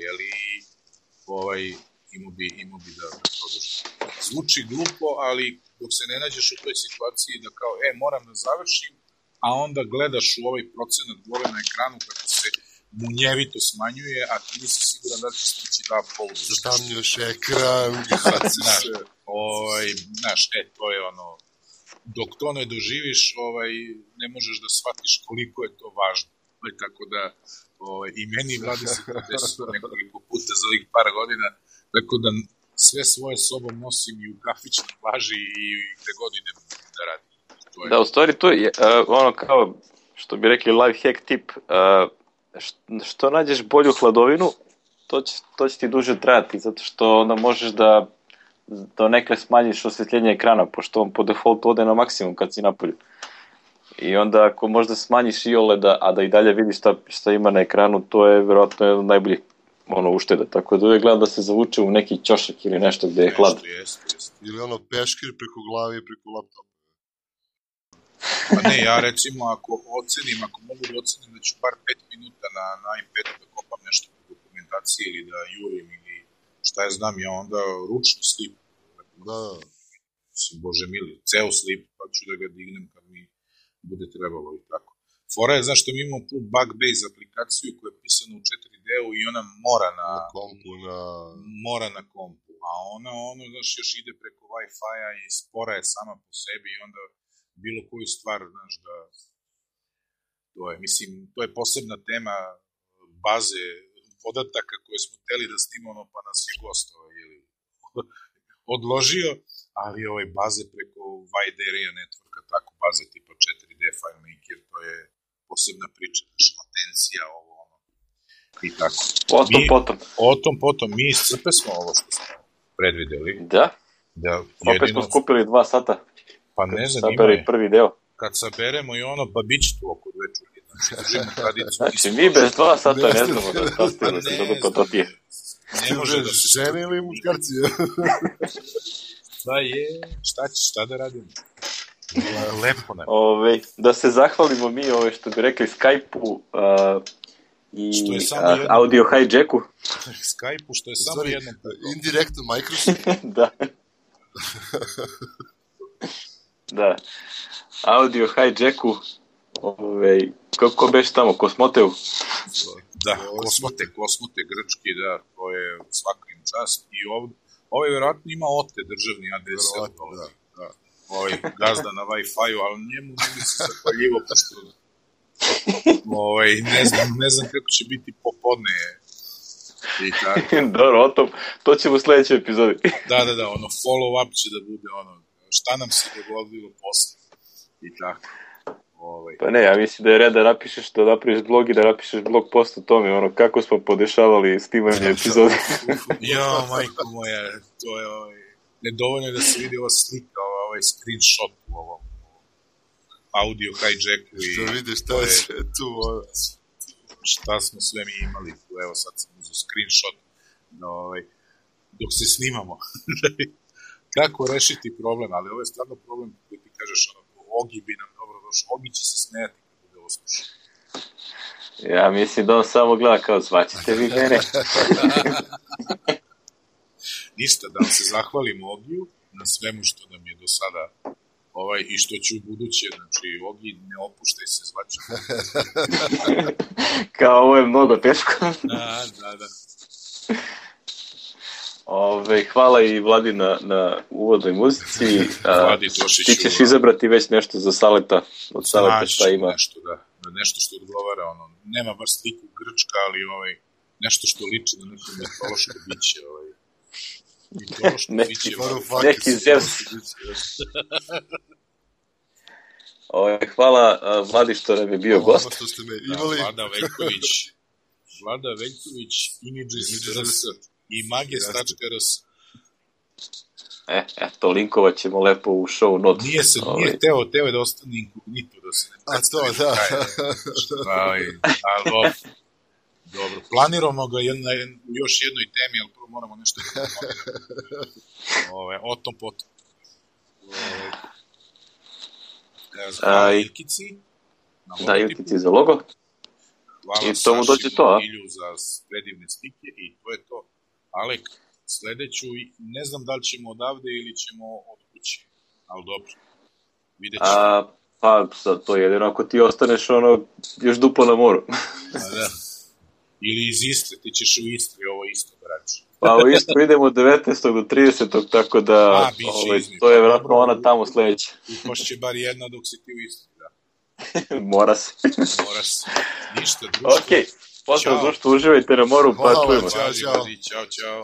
imao bi da produžim. Zvuči glupo, ali dok se ne nađeš u toj situaciji da kao, moram da završim, a onda gledaš u ovaj procenat gore na ekranu kako se munjevito smanjuje, a ti nisi siguran da će stići da uploadu. Zatamnješ ekran, to je ono, dok to ne doživiš, ne možeš da shvatiš koliko je to važno. Tako da, i meni vladi se to desilo nekoliko puta za ovih par godina, tako da sve svoje sobom nosim i u kafićnoj plaži i gde god idem da radim. Da, u stvari to je ono kao, što bi rekli life hack tip, što nađeš bolju hladovinu, to će ti duže trajati, zato što onda možeš da nekle smanjiš osvetljenje ekrana, pošto on po defaultu ode na maksimum kad si napolju. I onda ako možda smanjiš i OLED, a da i dalje vidiš šta ima na ekranu, to je vjerojatno jedan od najboljih ušteda. Tako da uvijek gledam da se zavuče u neki ćošak ili nešto gde je hlad. Ili peškir preko glavi i preko laptopa. Pa ne, ja recimo ako mogu da ocenim da ću bar 5 minuta na iPadu da kopam nešto po dokumentaciji ili da jurim ili šta ja znam, ja onda ručno slip. Da. Bože mili, ceo slip, pa ću da ga dignem kad mi bude trebalo i tako. Fora je zašto mi imamo tu bug-based aplikaciju koja je pisana u 4D-u i ona mora na kompu, a ona još ide preko Wi-Fi-a i spora je sama po sebi i onda bilo koju stvar, da to je posebna tema baze podataka koje smo hteli da snimamo, pa nas je gost odložio, ali baze preko wide area networka, tako baze tipa 4D FileMaker, to je posebna priča, latencija, i tako. Potom. Mi iscrpe smo ovo što smo predvideli. Da? Opet smo skupili 2 sata. Pa ne znam, prvi deo. Kad saberemo i pa bit će tu oko 2 čuli. Znači, mi bez 2 sata ne znamo da stavimo da se dopatotije. Ne može da se žene ili muškarci. Šta da radimo? Lepo nam. Da se zahvalimo mi, što bi rekli, Skype-u i Audio Hijacku. Skype-u, što je samo jedno. Indirektno Microsoft. Da. Da. Audio Hijacku, kako beš tamo, Kosmoteu? Da, Kosmote, grčki, da, to je svaka im čast. I vjerojatno ima OTE, državni ADSL. Gazda na Wi-Fi-u, ali njemu ne bi se zahvaljivo, pošto ne znam kako će biti popodne. Dobro, to ćemo u sljedećoj epizodi. Da, follow-up će da bude šta nam se dogodilo posle. I tako. Pa ne, ja mislim da je red da napišeš blog i da napišeš blog post o tome, kako smo podešavali snimanje epizode. Jo, majko moja, to je nedovoljno je da se vidi ova slika, ovaj screenshot u ovom audio hijacku. Što vidiš, šta je sve tu? Šta smo sve mi imali tu, evo sad sam uzeo screenshot dok se snimamo. Kako rešiti problem, ali ovo je stvarno problem koji ti kažeš, Ogi bi nam dobro došao, Ogi će se smijati kad bude ovo slušao. Ja mislim da on samo gleda kao zvaćete vi mene. Ništa, da vam se zahvalim Ogiju na svemu što nam je do sada I što će u buduće, znači, Ogi, ne opuštaj se, zvače. Kao, ovo je mnogo teško. Da. Hvala i Vladi na uvodnoj muzici. Vladi Tošiću. Ti ćeš izabrati već nešto za Saleta, od Saleta šta ima. Nešto što odgovara, nema baš sliku Grčka, ali nešto što liči na neko mitološko biće, neki Zeus. Hvala Vladi što nam je bio gost. Vlada Veljković, Images.rs i Mages.rs. Eto, linkovat ćemo lepo u show notes. Nije teo da ostane inkognito, da se ne predstavi. Ali dobro, planiramo ga u još jednoj temi, ali prvo moramo nešto da o tom potom. Ilkici. Da, Ilkici za logo. Hvala Saši Ilju za predivne slike i to je to. Alek, sledeću, ne znam da li ćemo odavde ili ćemo od kuće, ali dobro, vidjet ćemo. Pa, sad to jedino ako ti ostaneš još duplo na moru. Da. Ili iz Istre, ti ćeš u Istri, ovo isto braći. Pa u Istru idemo od 19. do 30. tako da to je vjerojatno ona tamo sledeća. Upošće bar jedna dok si ti u Istri, da. Mora se. Ništa, društvo. Okej, pozdrav društvo, uživajte na moru, pa čujemo. Ćao.